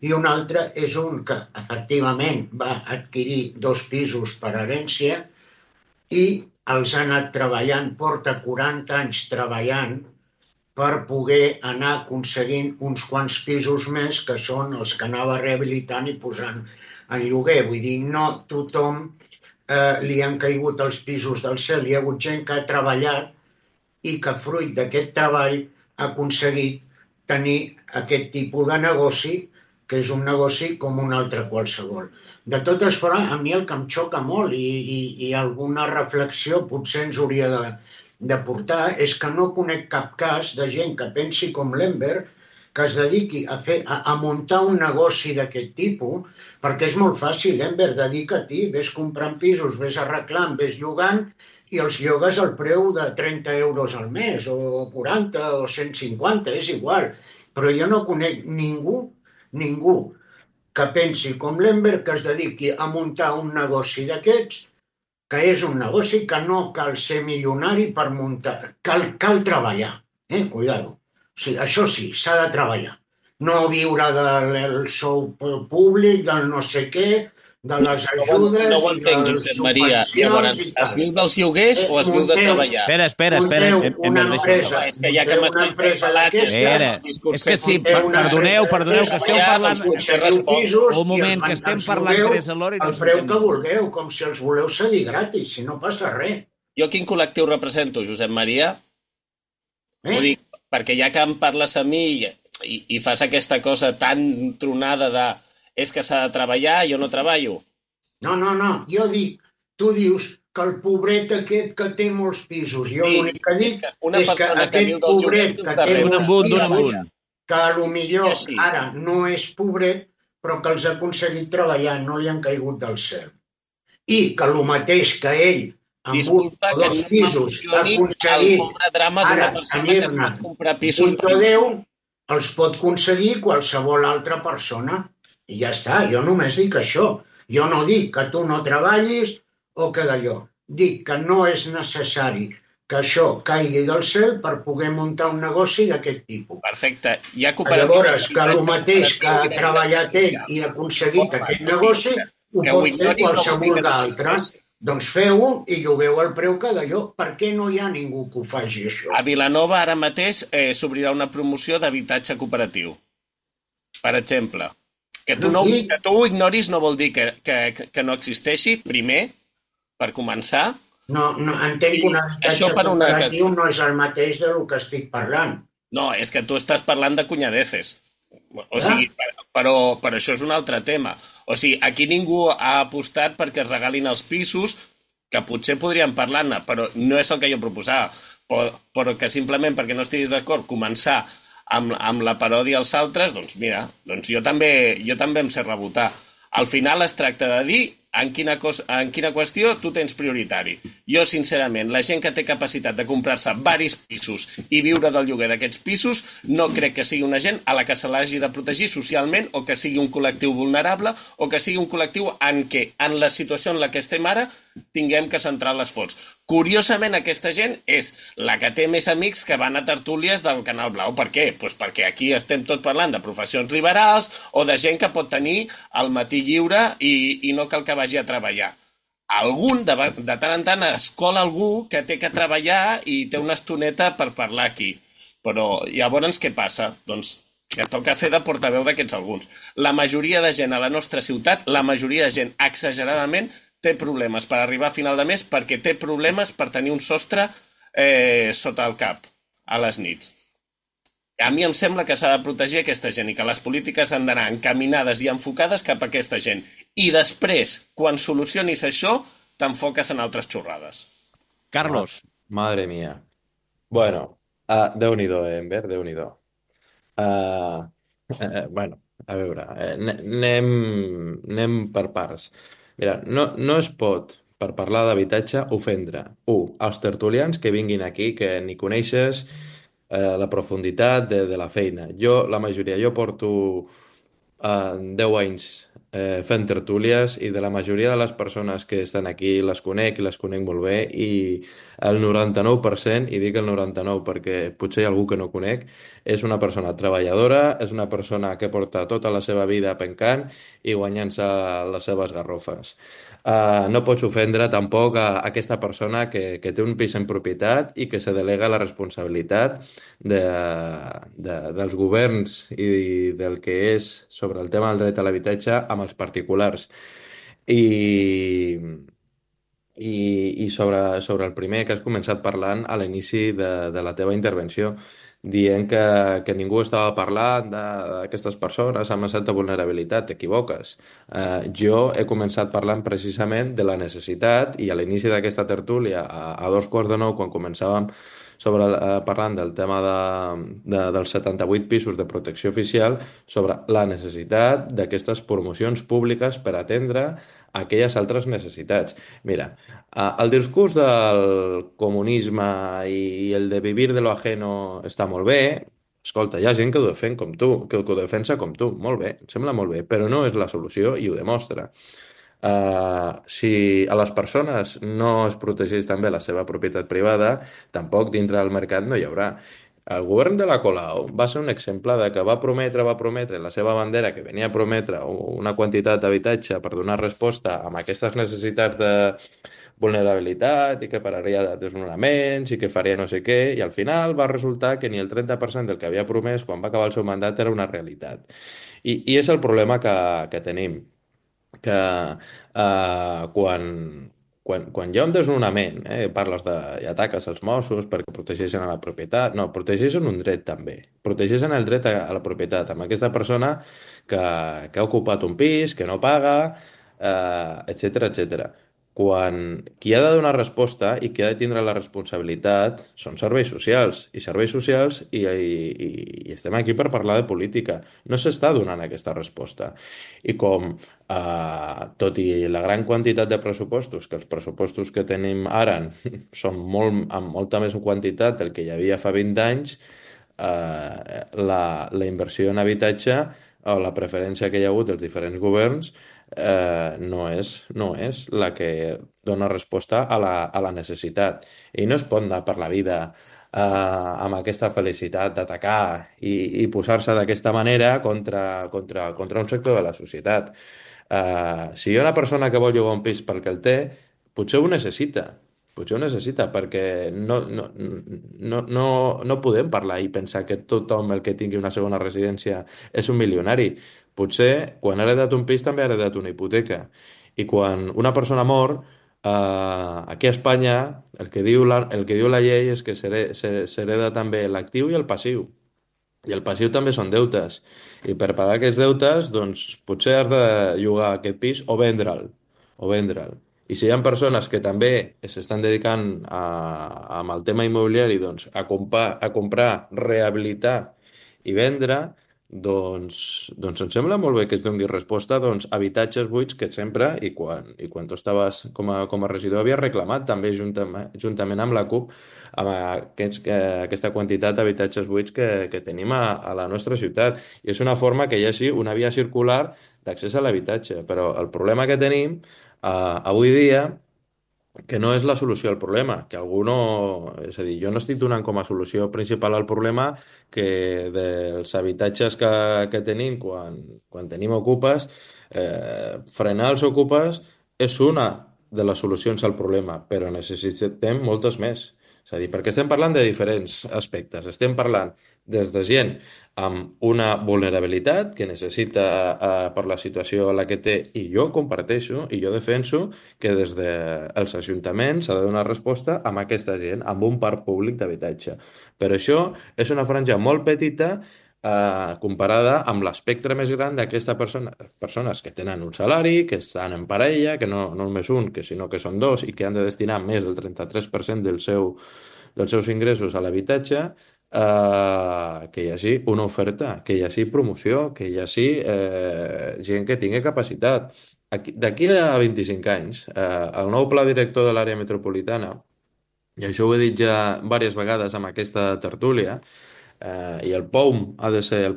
i un altre és un que, efectivament, va adquirir 2 pisos per herència i els ha anat treballant, porta 40 anys treballant per poder anar aconseguint uns quants pisos més, que són els que anava rehabilitant i posant en lloguer. Vull dir, no tothom li han caigut els pisos del cel. Hi ha hagut gent que ha treballat i que fruit d'aquest treball ha aconseguit tenir aquest tipus de negoci, que és un negoci com un altre qualsevol. De totes formes, a mi el que em xoca molt i alguna reflexió potser ens hauria de portar és que no conec cap cas de gent que pensi com l'Enver, que es dediqui a muntar un negoci d'aquest tipus, perquè és molt fàcil, Enver, dedica-t'hi, ves comprant pisos, ves arreglant, ves llogant, i els llogues al preu de 30 euros al mes, o 40 o 150, és igual. Però jo no conec ningú que pensi com l'Enver, que es dediqui a muntar un negoci d'aquests, que és un negoci que no cal ser milionari per muntar, cal treballar, cuidado. O sigui, això sí, s'ha de treballar. No viure del sou públic, del no sé què, de les ajudes... No ho entenc, Josep Maria. Llavors, es viu dels lloguers o es viu de treballar? Espera. Una empresa. És que ja que m'esteu parlant... És que sí, perdoneu, que esteu parlant... Un moment, que estem parlant tres alhora i no el preu que vulgueu, com si els voleu cedir gratis, si no passa res. Jo quin col·lectiu represento, Josep Maria? Ho dic, perquè ja que em parles a mi i fas aquesta cosa tan tronada de és que s'ha de treballar, jo no treballo. No, jo dic, tu dius que el pobret aquest que té molts pisos, jo l'únic que dic és que aquest pobret que té molts pisos, que potser ara no és pobret, però que els ha aconseguit treballar, no li han caigut del cel. I que el mateix que ell, amb un o 2 pisos, ha aconseguit ara tenir-ne un o 10, els pot aconseguir qualsevol altra persona. I ja està, jo només dic això. Jo no dic que tu no treballis o que d'allò. Dic que no és necessari que això caigui del cel per poder muntar un negoci d'aquest tipus. Perfecte. Llavors, que el mateix que ha treballat ell i ha aconseguit aquest negoci, ho pot fer qualsevol d'altre. Doncs feu-ho i llogueu el preu que d'allò. Per què no hi ha ningú que ho faci, això? A Vilanova ara mateix s'obrirà una promoció d'habitatge cooperatiu. Per exemple. Que tu ho ignoris no vol dir que no existeixi, primer, per començar. No, entenc que un habitatge cooperatiu no és el mateix del que estic parlant. No, és que tu estàs parlant de cunyadeces. O sigui, però això és un altre tema. O sigui, aquí ningú ha apostat perquè es regalin els pisos que potser podríem parlar-ne, però no és el que jo proposava, però que simplement perquè no estiguis d'acord començar amb la paròdia als altres, doncs mira, doncs jo també em sé rebotar. Al final es tracta de dir en quina qüestió tu tens prioritari. Jo, sincerament, la gent que té capacitat de comprar-se varis pisos i viure del lloguer d'aquests pisos, no crec que sigui una gent a la que se l'hagi de protegir socialment o que sigui un col·lectiu vulnerable o que sigui un col·lectiu en què, en la situació en la que estem ara, tinguem que centrar l'esforç. Curiosament, aquesta gent és la que té més amics que van a tertúlies del Canal Blau. Per què? Pues perquè aquí estem tots parlant de professions liberals o de gent que pot tenir el matí lliure i no cal que vagi a treballar. Algun, de tant en tant, es cola algú que té que treballar i té una estoneta per parlar aquí. Però llavors què passa? Doncs que toca fer de portaveu d'aquests alguns. La majoria de gent a la nostra ciutat, la majoria de gent exageradament, té problemes per arribar a final de mes perquè té problemes per tenir un sostre sota el cap a les nits. A mi em sembla que s'ha de protegir aquesta gent i que les polítiques han d'anar encaminades i enfocades cap a aquesta gent. I després, quan solucionis això, t'enfoques en altres xorrades. Carlos. Madre mía. Bueno, Déu-n'hi-do, Enver, Déu-n'hi-do. Bueno, a veure, anem per parts. Mira, no es pot, per parlar d'habitatge, ofendre, els tertulians que vinguin aquí, que ni coneixes la profunditat de la feina. Jo porto 10 anys fent tertúlies i de la majoria de les persones que estan aquí les conec i les conec molt bé i el 99%, i dic el 99 perquè potser hi ha algú que no conec, és una persona treballadora, és una persona que porta tota la seva vida pencant i guanyant-se les seves garrofes. No pots ofendre tampoc a aquesta persona que té un pis en propietat i que se delega la responsabilitat dels governs i del que és sobre el tema del dret a l'habitatge amb els particulars. I sobre el primer que has començat parlant a l'inici de la teva intervenció, dient que ningú estava parlant d'aquestes persones amb una certa vulnerabilitat, t'equivoques. Jo he començat parlant precisament de la necessitat i a l'inici d'aquesta tertúlia, a 2:15, quan començàvem parlant del tema dels 78 pisos de protecció oficial, sobre la necessitat d'aquestes promocions públiques per atendre aquelles altres necessitats. Mira, el discurs del comunisme i el de vivir de lo ajeno està molt bé. Escolta, hi ha gent que ho defèn com tu, que ho defensa com tu. Molt bé, em sembla molt bé, però no és la solució i ho demostra. Si a les persones no es protegeix també la seva propietat privada, tampoc dintre del mercat no hi haurà. El govern de la Colau va ser un exemple de que va prometre la seva bandera, que venia a prometre una quantitat d'habitatge per donar resposta a aquestes necessitats de vulnerabilitat i que pararia de desnonaments i que faria no sé què, i al final va resultar que ni el 30% del que havia promès quan va acabar el seu mandat era una realitat. I és el problema que tenim, que quan hi ha un desnonament, parles i ataques als Mossos perquè protegeixen a la propietat. No, protegeixen un dret també. Protegeixen el dret a la propietat amb aquesta persona que ha ocupat un pis, que no paga, etcètera, etcètera. Quan qui ha de donar resposta i qui ha de tindre la responsabilitat són serveis socials. I serveis socials i estem aquí per parlar de política. No s'està donant aquesta resposta. I com, tot i la gran quantitat de pressupostos, que els pressupostos que tenim ara són amb molta més quantitat del que hi havia fa 20 anys, la inversió en habitatge o la preferència que hi ha hagut dels diferents governs no és la que dona resposta a la necessitat. I no es pot anar per la vida amb aquesta felicitat d'atacar i posar-se d'aquesta manera contra un sector de la societat. Si hi ha una persona que vol llogar un pis perquè el té, potser ho necessita, perquè no podem parlar i pensar que tothom el que tingui una segona residència és un milionari. Potser quan ha heredat un pis també ha heredat una hipoteca. I quan una persona mor, aquí a Espanya el que diu la llei és que s'hereda també l'actiu i el passiu. I el passiu també són deutes. I per pagar aquests deutes, doncs, potser has de llogar aquest pis o vendre'l. I si hi ha persones que també s'estan dedicant amb el tema immobiliari doncs, a comprar, rehabilitar i vendre, doncs em sembla molt bé que es doni resposta doncs, a habitatges buits que sempre, i quan tu estaves com a regidor, havies reclamat també juntament amb la CUP amb aquesta quantitat d'habitatges buits que tenim a la nostra ciutat. I és una forma que hi hagi una via circular d'accés a l'habitatge. Però el problema que tenim avui dia que no és la solució al problema, que algú no... És a dir, jo no estic donant com a solució principal al problema que dels habitatges que tenim quan tenim ocupes, frenar els ocupes és una de les solucions al problema, però necessitem moltes més. És a dir, perquè estem parlant de diferents aspectes. Estem parlant des de gent amb una vulnerabilitat que necessita per la situació a la que té, i jo comparteixo i jo defenso que des dels ajuntaments s'ha de donar resposta a aquesta gent, amb un parc públic d'habitatge. Però això és una franja molt petita comparada amb l'espectre més gran d'aquesta persones que tenen un salari, que estan en parella, que no només un, sinó que són dos i que han de destinar més del 33% dels seus ingressos a l'habitatge, que hi hagi una oferta, que hi hagi promoció, que hi hagi gent que tingui capacitat. D'aquí a 25 anys, el nou pla director de l'àrea metropolitana, i això ho he dit ja diverses vegades amb aquesta tertúlia, i el POUM ha de ser el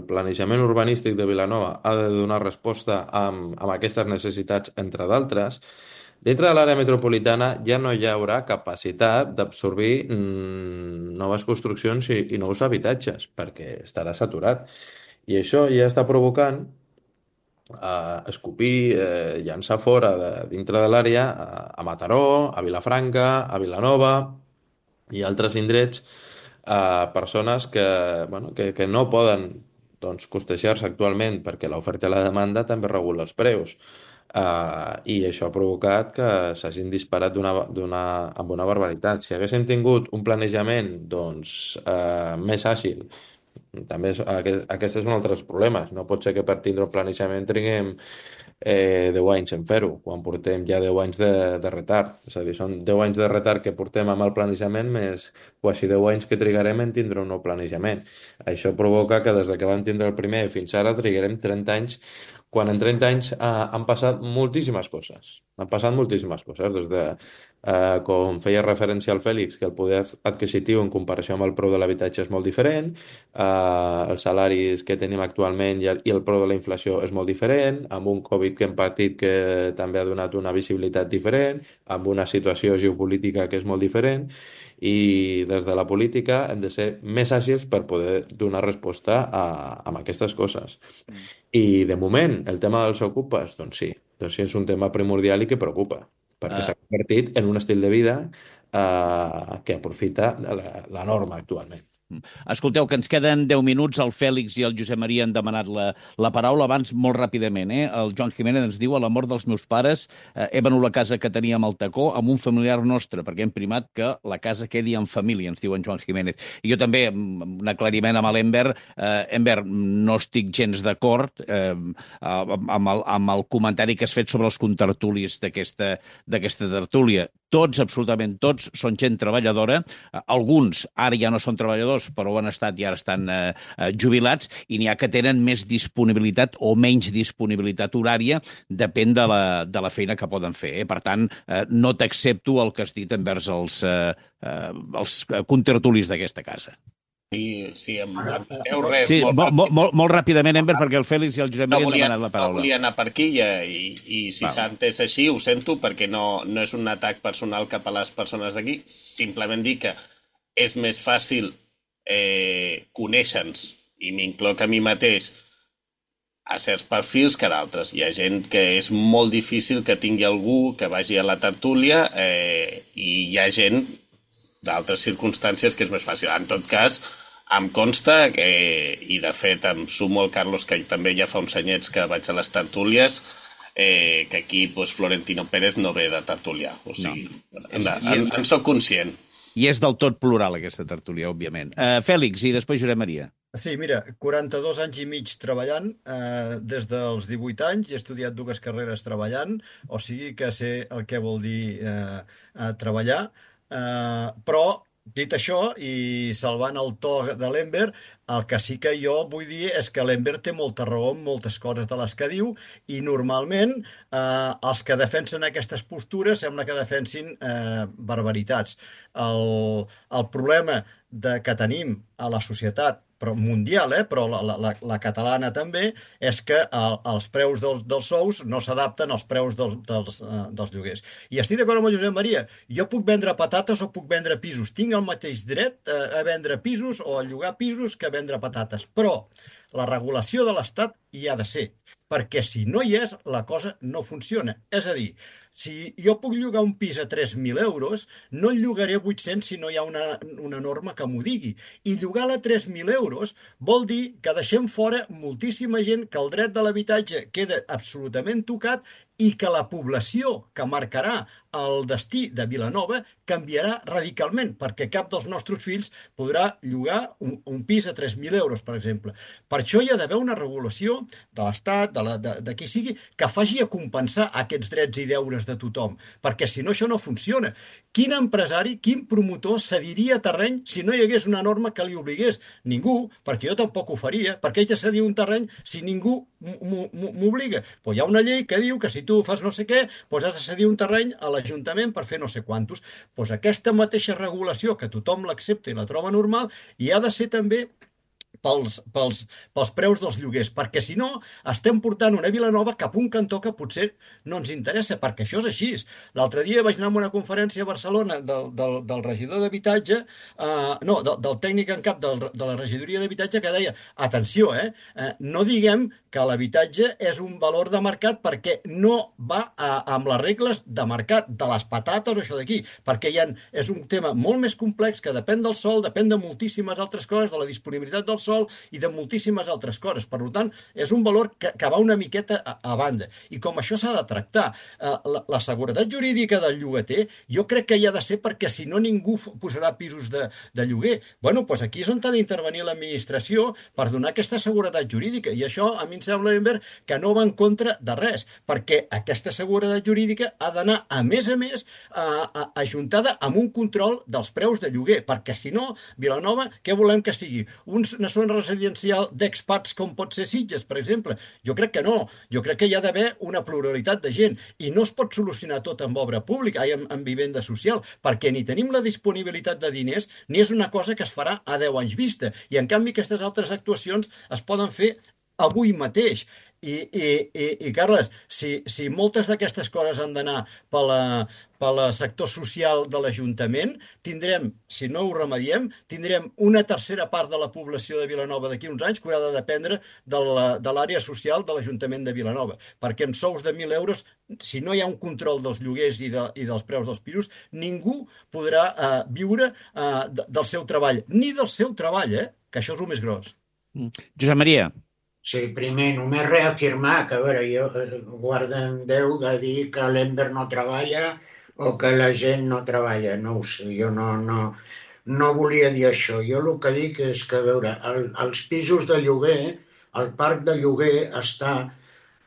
planejament urbanístic de Vilanova, ha de donar resposta amb aquestes necessitats, entre d'altres. Dintre de l'àrea metropolitana ja no hi haurà capacitat d'absorbir noves construccions i nous habitatges, perquè estarà saturat. I això ja està provocant escopir, llançar fora dintre de l'àrea a Mataró, a Vilafranca, a Vilanova i altres indrets persones que no poden doncs, costejar-se actualment perquè l'oferta i la demanda també regula els preus. I això ha provocat que s'hagin disparat amb una barbaritat. Si haguéssim tingut un planejament doncs, més àgil, també aquest és un altre dels problemes. No pot ser que per tindre un planejament tinguem 10 anys en fer-ho, quan portem ja 10 anys de retard. És a dir, són 10 anys de retard que portem amb el planejament més quasi 10 anys que trigarem en tindre un nou planejament. Això provoca que des que vam tindre el primer fins ara trigarem 30 anys, quan en 30 anys han passat moltíssimes coses. Han passat moltíssimes coses, des de, com feia referència al Fèlix, que el poder adquisitiu en comparació amb el preu de l'habitatge és molt diferent, els salaris que tenim actualment i el preu de la inflació és molt diferent, amb un Covid que hem patit que també ha donat una visibilitat diferent, amb una situació geopolítica que és molt diferent, i des de la política hem de ser més àgils per poder donar resposta a aquestes coses. I de moment, el tema dels ocupes, doncs sí, és un tema primordial i que preocupa, perquè s'ha convertit en un estil de vida que aprofita la norma actualment. Escolteu, que ens queden 10 minuts, el Fèlix i el Josep Maria han demanat la paraula. Abans, molt ràpidament, el Joan Jiménez ens diu: a la mort dels meus pares he venut la casa que teníem al Tacó amb un familiar nostre, perquè hem primat que la casa quedi en família, ens diu en Joan Jiménez. I jo també, un aclariment amb l'Enver. Enver, no estic gens d'acord amb el comentari que has fet sobre els contertulis d'aquesta tertúlia. Tots, absolutament tots, són gent treballadora. Alguns ara ja no són treballadors, però ho han estat i ara estan jubilats, i n'hi ha que tenen més disponibilitat o menys disponibilitat horària, depèn de la feina que poden fer. Per tant, no t'accepto el que has dit envers els contertulis d'aquesta casa. Sí, em deu res. Sí, molt ràpidament, Enver, perquè el Fèlix i el Josep Maria han demanat la paraula. No volia anar per aquí i si s'ha entès així, ho sento, perquè no és un atac personal cap a les persones d'aquí, simplement dir que és més fàcil conèixer-nos, i m'incloc a mi mateix, a certs perfils que d'altres. Hi ha gent que és molt difícil que tingui algú que vagi a la tertúlia i hi ha gent d'altres circumstàncies que és més fàcil. En tot cas, em consta que, i de fet em sumo al Carlos, que també ja fa uns anyets que vaig a les tertúlies, que aquí Florentino Pérez no ve de tertúlia. O sigui, en soc conscient. I és del tot plural aquesta tertúlia, òbviament. Fèlix, i després Josep Maria. Sí, mira, 42 anys i mig treballant, des dels 18 anys, he estudiat dues carreres treballant, o sigui que sé el que vol dir treballar, però dit això i salvant el to de l'Enver, el que sí que jo vull dir és que l'Enver té molta raó en moltes coses de les que diu i normalment els que defensen aquestes postures sembla que defensin barbaritats. El problema que tenim a la societat però mundial, però la catalana també, és que els preus dels sous no s'adapten als preus dels lloguers. I estic d'acord amb el Josep Maria. Jo puc vendre patates o puc vendre pisos. Tinc el mateix dret a vendre pisos o a llogar pisos que a vendre patates. Però la regulació de l'Estat hi ha de ser, perquè si no hi és, la cosa no funciona. És a dir, si jo puc llogar un pis a 3.000 euros, no el llogaré a 800 si no hi ha una norma que m'ho digui. I llogar-la a 3.000 euros vol dir que deixem fora moltíssima gent, que el dret de l'habitatge queda absolutament tocat i que la població que marcarà el destí de Vilanova canviarà radicalment, perquè cap dels nostres fills podrà llogar un pis a 3.000 euros, per exemple. Per això hi ha d'haver una regulació de l'Estat, de qui sigui, que faci a compensar aquests drets i deures de tothom, perquè si no això no funciona. Quin empresari, quin promotor cediria terreny si no hi hagués una norma que li obligués? Ningú, perquè jo tampoc ho faria. Per què haig de cedir un terreny si ningú m'obliga? Però hi ha una llei que diu que si tu fas no sé què, doncs has de cedir un terreny a l'Ajuntament per fer no sé quantos. Doncs aquesta mateixa regulació, que tothom l'accepta i la troba normal, i ha de ser també pels preus dels lloguers, perquè si no estem portant una Vilanova cap a un cantó que potser no ens interessa, perquè això és així. L'altre dia vaig anar a una conferència a Barcelona del regidor d'habitatge, del tècnic en cap de la regidoria d'habitatge, que deia, atenció, no diguem que l'habitatge és un valor de mercat perquè no va amb les regles de mercat, de les patates o això d'aquí, perquè és un tema molt més complex que depèn del sòl, depèn de moltíssimes altres coses, de la disponibilitat del sòl i de moltíssimes altres coses. Per tant, és un valor que va una miqueta a banda. I com això s'ha de tractar, la seguretat jurídica del llogater jo crec que hi ha de ser perquè si no ningú posarà pisos de lloguer. Bueno, doncs aquí és on ha d'intervenir l'administració per donar aquesta seguretat jurídica. I això a mi em sembla, Enver, que no va en contra de res, perquè aquesta seguretat jurídica ha d'anar, a més, ajuntada amb un control dels preus de lloguer, perquè si no, Vilanova, què volem que sigui? Una zona residencial d'expats com pot ser Sitges, per exemple? Jo crec que no. Jo crec que hi ha d'haver una pluralitat de gent i no es pot solucionar tot amb obra pública, amb vivenda social, perquè ni tenim la disponibilitat de diners ni és una cosa que es farà a 10 anys vista. I en canvi aquestes altres actuacions es poden fer avui mateix. I Carles, si moltes d'aquestes coses han d'anar pel sector social de l'Ajuntament, tindrem, si no ho remediem, tindrem una tercera part de la població de Vilanova d'aquí uns anys que haurà de dependre de l'àrea social de l'Ajuntament de Vilanova, perquè amb sous de 1.000 euros, si no hi ha un control dels lloguers i dels preus dels pisos, ningú podrà viure del seu treball, ni del seu treball, que això és el més gros. Josep Maria. Sí, primer, només reafirmar que, a veure, jo guarda en Déu de dir que l'Enver no treballa o que la gent no treballa. No ho sé, jo no volia dir això. Jo el que dic és que, a veure, els pisos de lloguer, el parc de lloguer està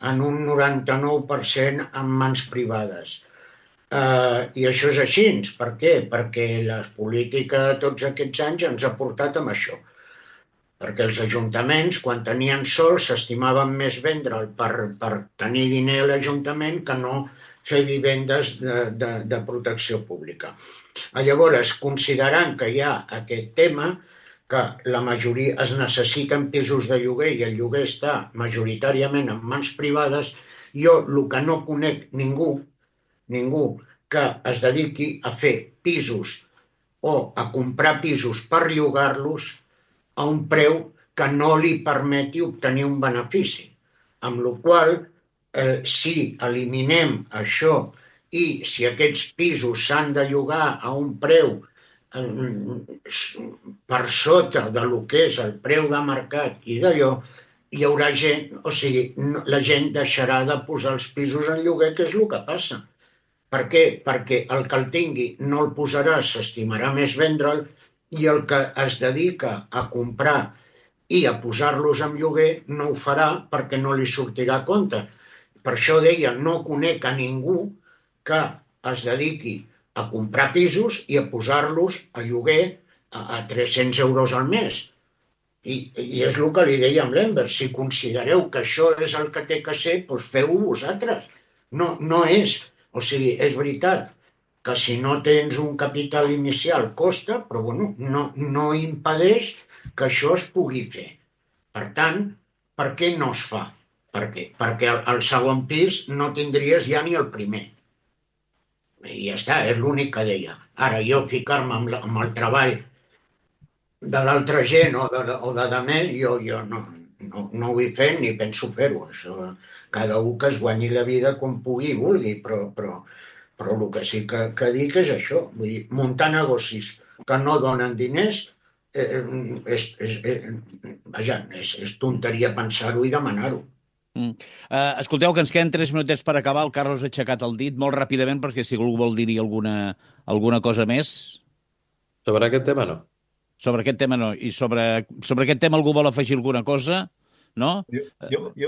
en un 99% en mans privades. I això és així. Per què? Perquè la política tots aquests anys ens ha portat amb això. Perquè els ajuntaments, quan tenien sol, s'estimaven més vendre'l per tenir diner a l'Ajuntament que no fer vivendes de protecció pública. Llavors, considerant que hi ha aquest tema, que la majoria es necessiten pisos de lloguer i el lloguer està majoritàriament en mans privades, jo el que no conec ningú que es dediqui a fer pisos o a comprar pisos per llogar-los a un preu que no li permeti obtenir un benefici. Amb la qual cosa, si eliminem això i si aquests pisos s'han de llogar a un preu per sota de lo que és el preu de mercat i d'allò, hi haurà gent, o sigui, la gent deixarà de posar els pisos en lloguer, que és el que passa. Per què? Perquè el que el tingui no el posarà, s'estimarà més vendre'l, i el que es dedica a comprar i a posar-los en lloguer no ho farà perquè no li sortirà a compte. Per això deia, no conec a ningú que es dediqui a comprar pisos i a posar-los a lloguer a 300 euros al mes. I és el que li deia amb l'Enver, si considereu que això és el que té que ser, doncs feu-ho vosaltres. No és, o sigui, és veritat que si no tens un capital inicial costa, però bueno, no impedeix que això es pugui fer. Per tant, per què no es fa? Per què? Perquè al segon pis no tindries ja ni el primer. I ja està, és l'únic que deia. Ara, jo ficar-me amb el treball de l'altra gent o de més, jo no ho vull fer ni penso fer-ho. Això, cada un que es guanyi la vida com pugui i vulgui, però el que sí que dic és això. Vull dir, muntar negocis que no donen diners és tonteria pensar-ho i demanar-ho. Escolteu, que ens queden 3 minutets per acabar. El Carlos ha aixecat el dit molt ràpidament perquè si algú vol dir-hi alguna cosa més. Sobre aquest tema no. Sobre aquest tema no. I sobre aquest tema algú vol afegir alguna cosa? No? Jo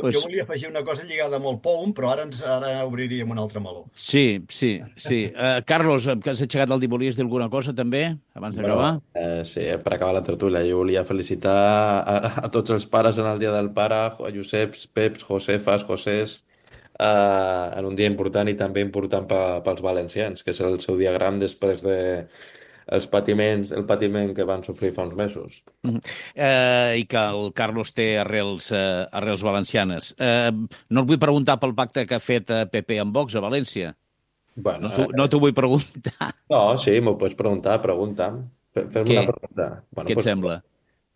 volia afegir una cosa lligada amb el POUM, però ara obriríem un altre meló. Sí. Carlos, que has aixecat el dit, volies dir alguna cosa també, abans d'acabar? Sí, per acabar la tertúlia. Jo volia felicitar a tots els pares en el Dia del Pare, a Joseps, Peps, Josefes, Josés, en un dia important i també important pels valencians, que és el seu dia gran després de el patiment que van sofrir fa uns mesos. I que el Carlos té arrels valencianes. No et vull preguntar pel pacte que ha fet PP amb Vox a València. Bueno, no t'ho vull preguntar. No, sí, m'ho pots preguntar, pregunta'm. Fes-me una pregunta. Què et sembla?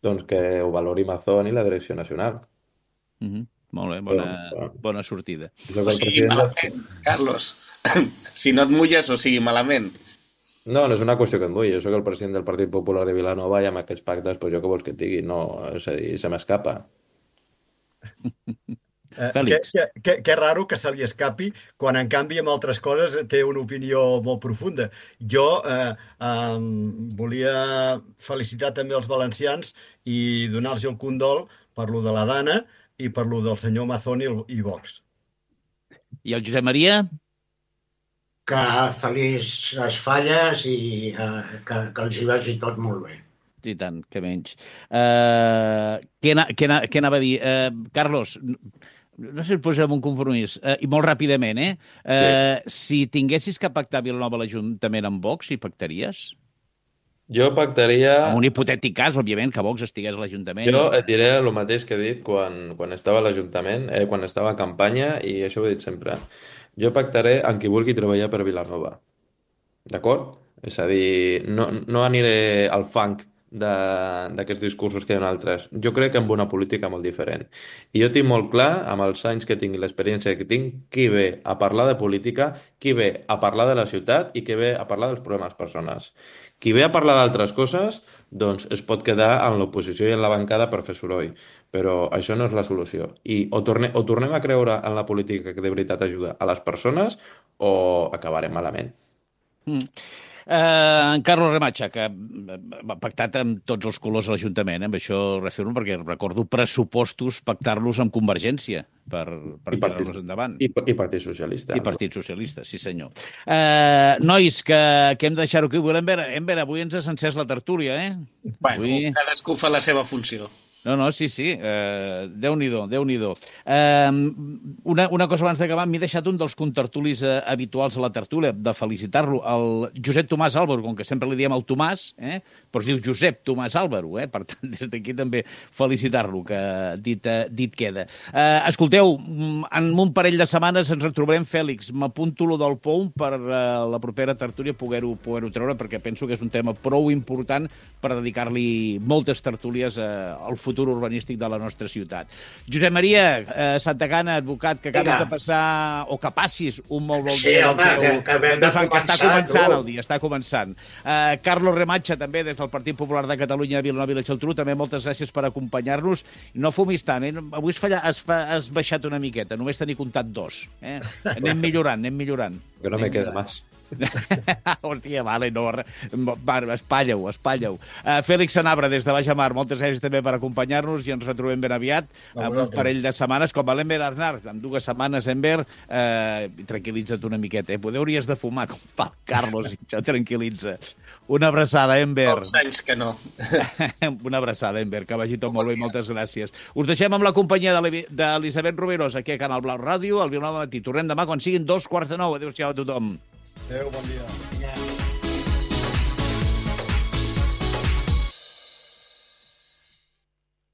Doncs que ho valori Mazón i la Direcció Nacional. Molt bé, bona sortida. O sigui malament, Carlos. Si no et mulles, o sigui malament. No és una qüestió que em vull. Jo soc el president del Partit Popular de Vilanova i amb aquests pactes, doncs jo què vols que et digui? No, és a dir, se m'escapa. Fèlix. Que raro que se li escapi quan, en canvi, amb altres coses té una opinió molt profunda. Jo volia felicitar també els valencians i donar-los el condol per lo de la Dana i per lo del senyor Mazón i Vox. I el Josep Maria? Que felices falles i que els hi vagi tot molt bé. I tant, que menys. Què anava a dir? Carlos, no sé si et posem un compromís, i molt ràpidament, si tinguessis que pactar a Vilanova l'Ajuntament amb Vox, hi pactaries? Jo pactaria... En un hipotètic cas, òbviament, que Vox estigués a l'Ajuntament. Jo et diré el mateix que he dit quan estava a l'Ajuntament, quan estava a campanya, i això ho he dit sempre. Jo pactaré amb qui vulgui treballar per Vilanova. D'acord? És a dir, no aniré al fang d'aquests discursos que hi ha altres. Jo crec en una política molt diferent. I jo tinc molt clar, amb els anys que tinc i l'experiència que tinc, qui ve a parlar de política, qui ve a parlar de la ciutat i qui ve a parlar dels problemes personals. Qui ve a parlar d'altres coses, doncs es pot quedar en l'oposició i en la bancada per fer soroll. Però això no és la solució. I o tornem a creure en la política que de veritat ajuda a les persones o acabarem malament. En Carlos Remacha, que ha pactat amb tots els colors a l'Ajuntament, amb això refermo perquè recordo pressupostos pactar-los amb Convergència per tirar-los endavant. I Partit Socialista. I Partit Socialista, sí senyor. Nois, que hem de deixar-ho aquí. Enver, avui ens ha encès la tertúlia, Bueno, cadascú fa la seva funció. No, sí. Déu-n'hi-do. Una cosa abans d'acabar, m'he deixat un dels contertulis habituals a la tertúlia, de felicitar-lo, el Josep Tomàs Álvaro, com que sempre li diem el Tomàs, però es diu Josep Tomàs Álvaro, per tant, des d'aquí també felicitar-lo, que dit queda. Escolteu, en un parell de setmanes ens retrobarem, Fèlix. M'apunto lo del POUM per la propera tertúlia poder-ho treure, perquè penso que és un tema prou important per dedicar-li moltes tertúlies al futur urbanístic de la nostra ciutat. Josep Maria Santacana, advocat, que acabes de passar, o que passis un molt bon dia. Sí, home, que hem de començar. Està començant el dia, està començant. Carlos Remacha, també, des del Partit Popular de Catalunya, Vilanova i la Geltrú, també moltes gràcies per acompanyar-nos. No fumis tant, avui has baixat una miqueta, només tenir comptat 2. Anem millorant. Que no me queda más. Hòstia, vale, no, espatlla-ho. Fèlix Sanabra, des de Baix Mar, moltes gràcies també per acompanyar-nos i ens retrobem ben aviat amb un parell de setmanes, com a l'Enver Arnar, amb 2 setmanes, Enver, tranquil·litza't una miqueta, hauries de fumar, com fa el Carlos, i això tranquil·litza. Una abraçada, Enver. Pocs anys que no. Una abraçada, Enver, que vagi tot molt bé i moltes gràcies. Us deixem amb la companyia d'Elisabet Roberos aquí a Canal Blau Ràdio, al Vilanova Matí. Tornem demà quan siguin 9:15. Adéu-siau a tothom. Adéu, bon dia.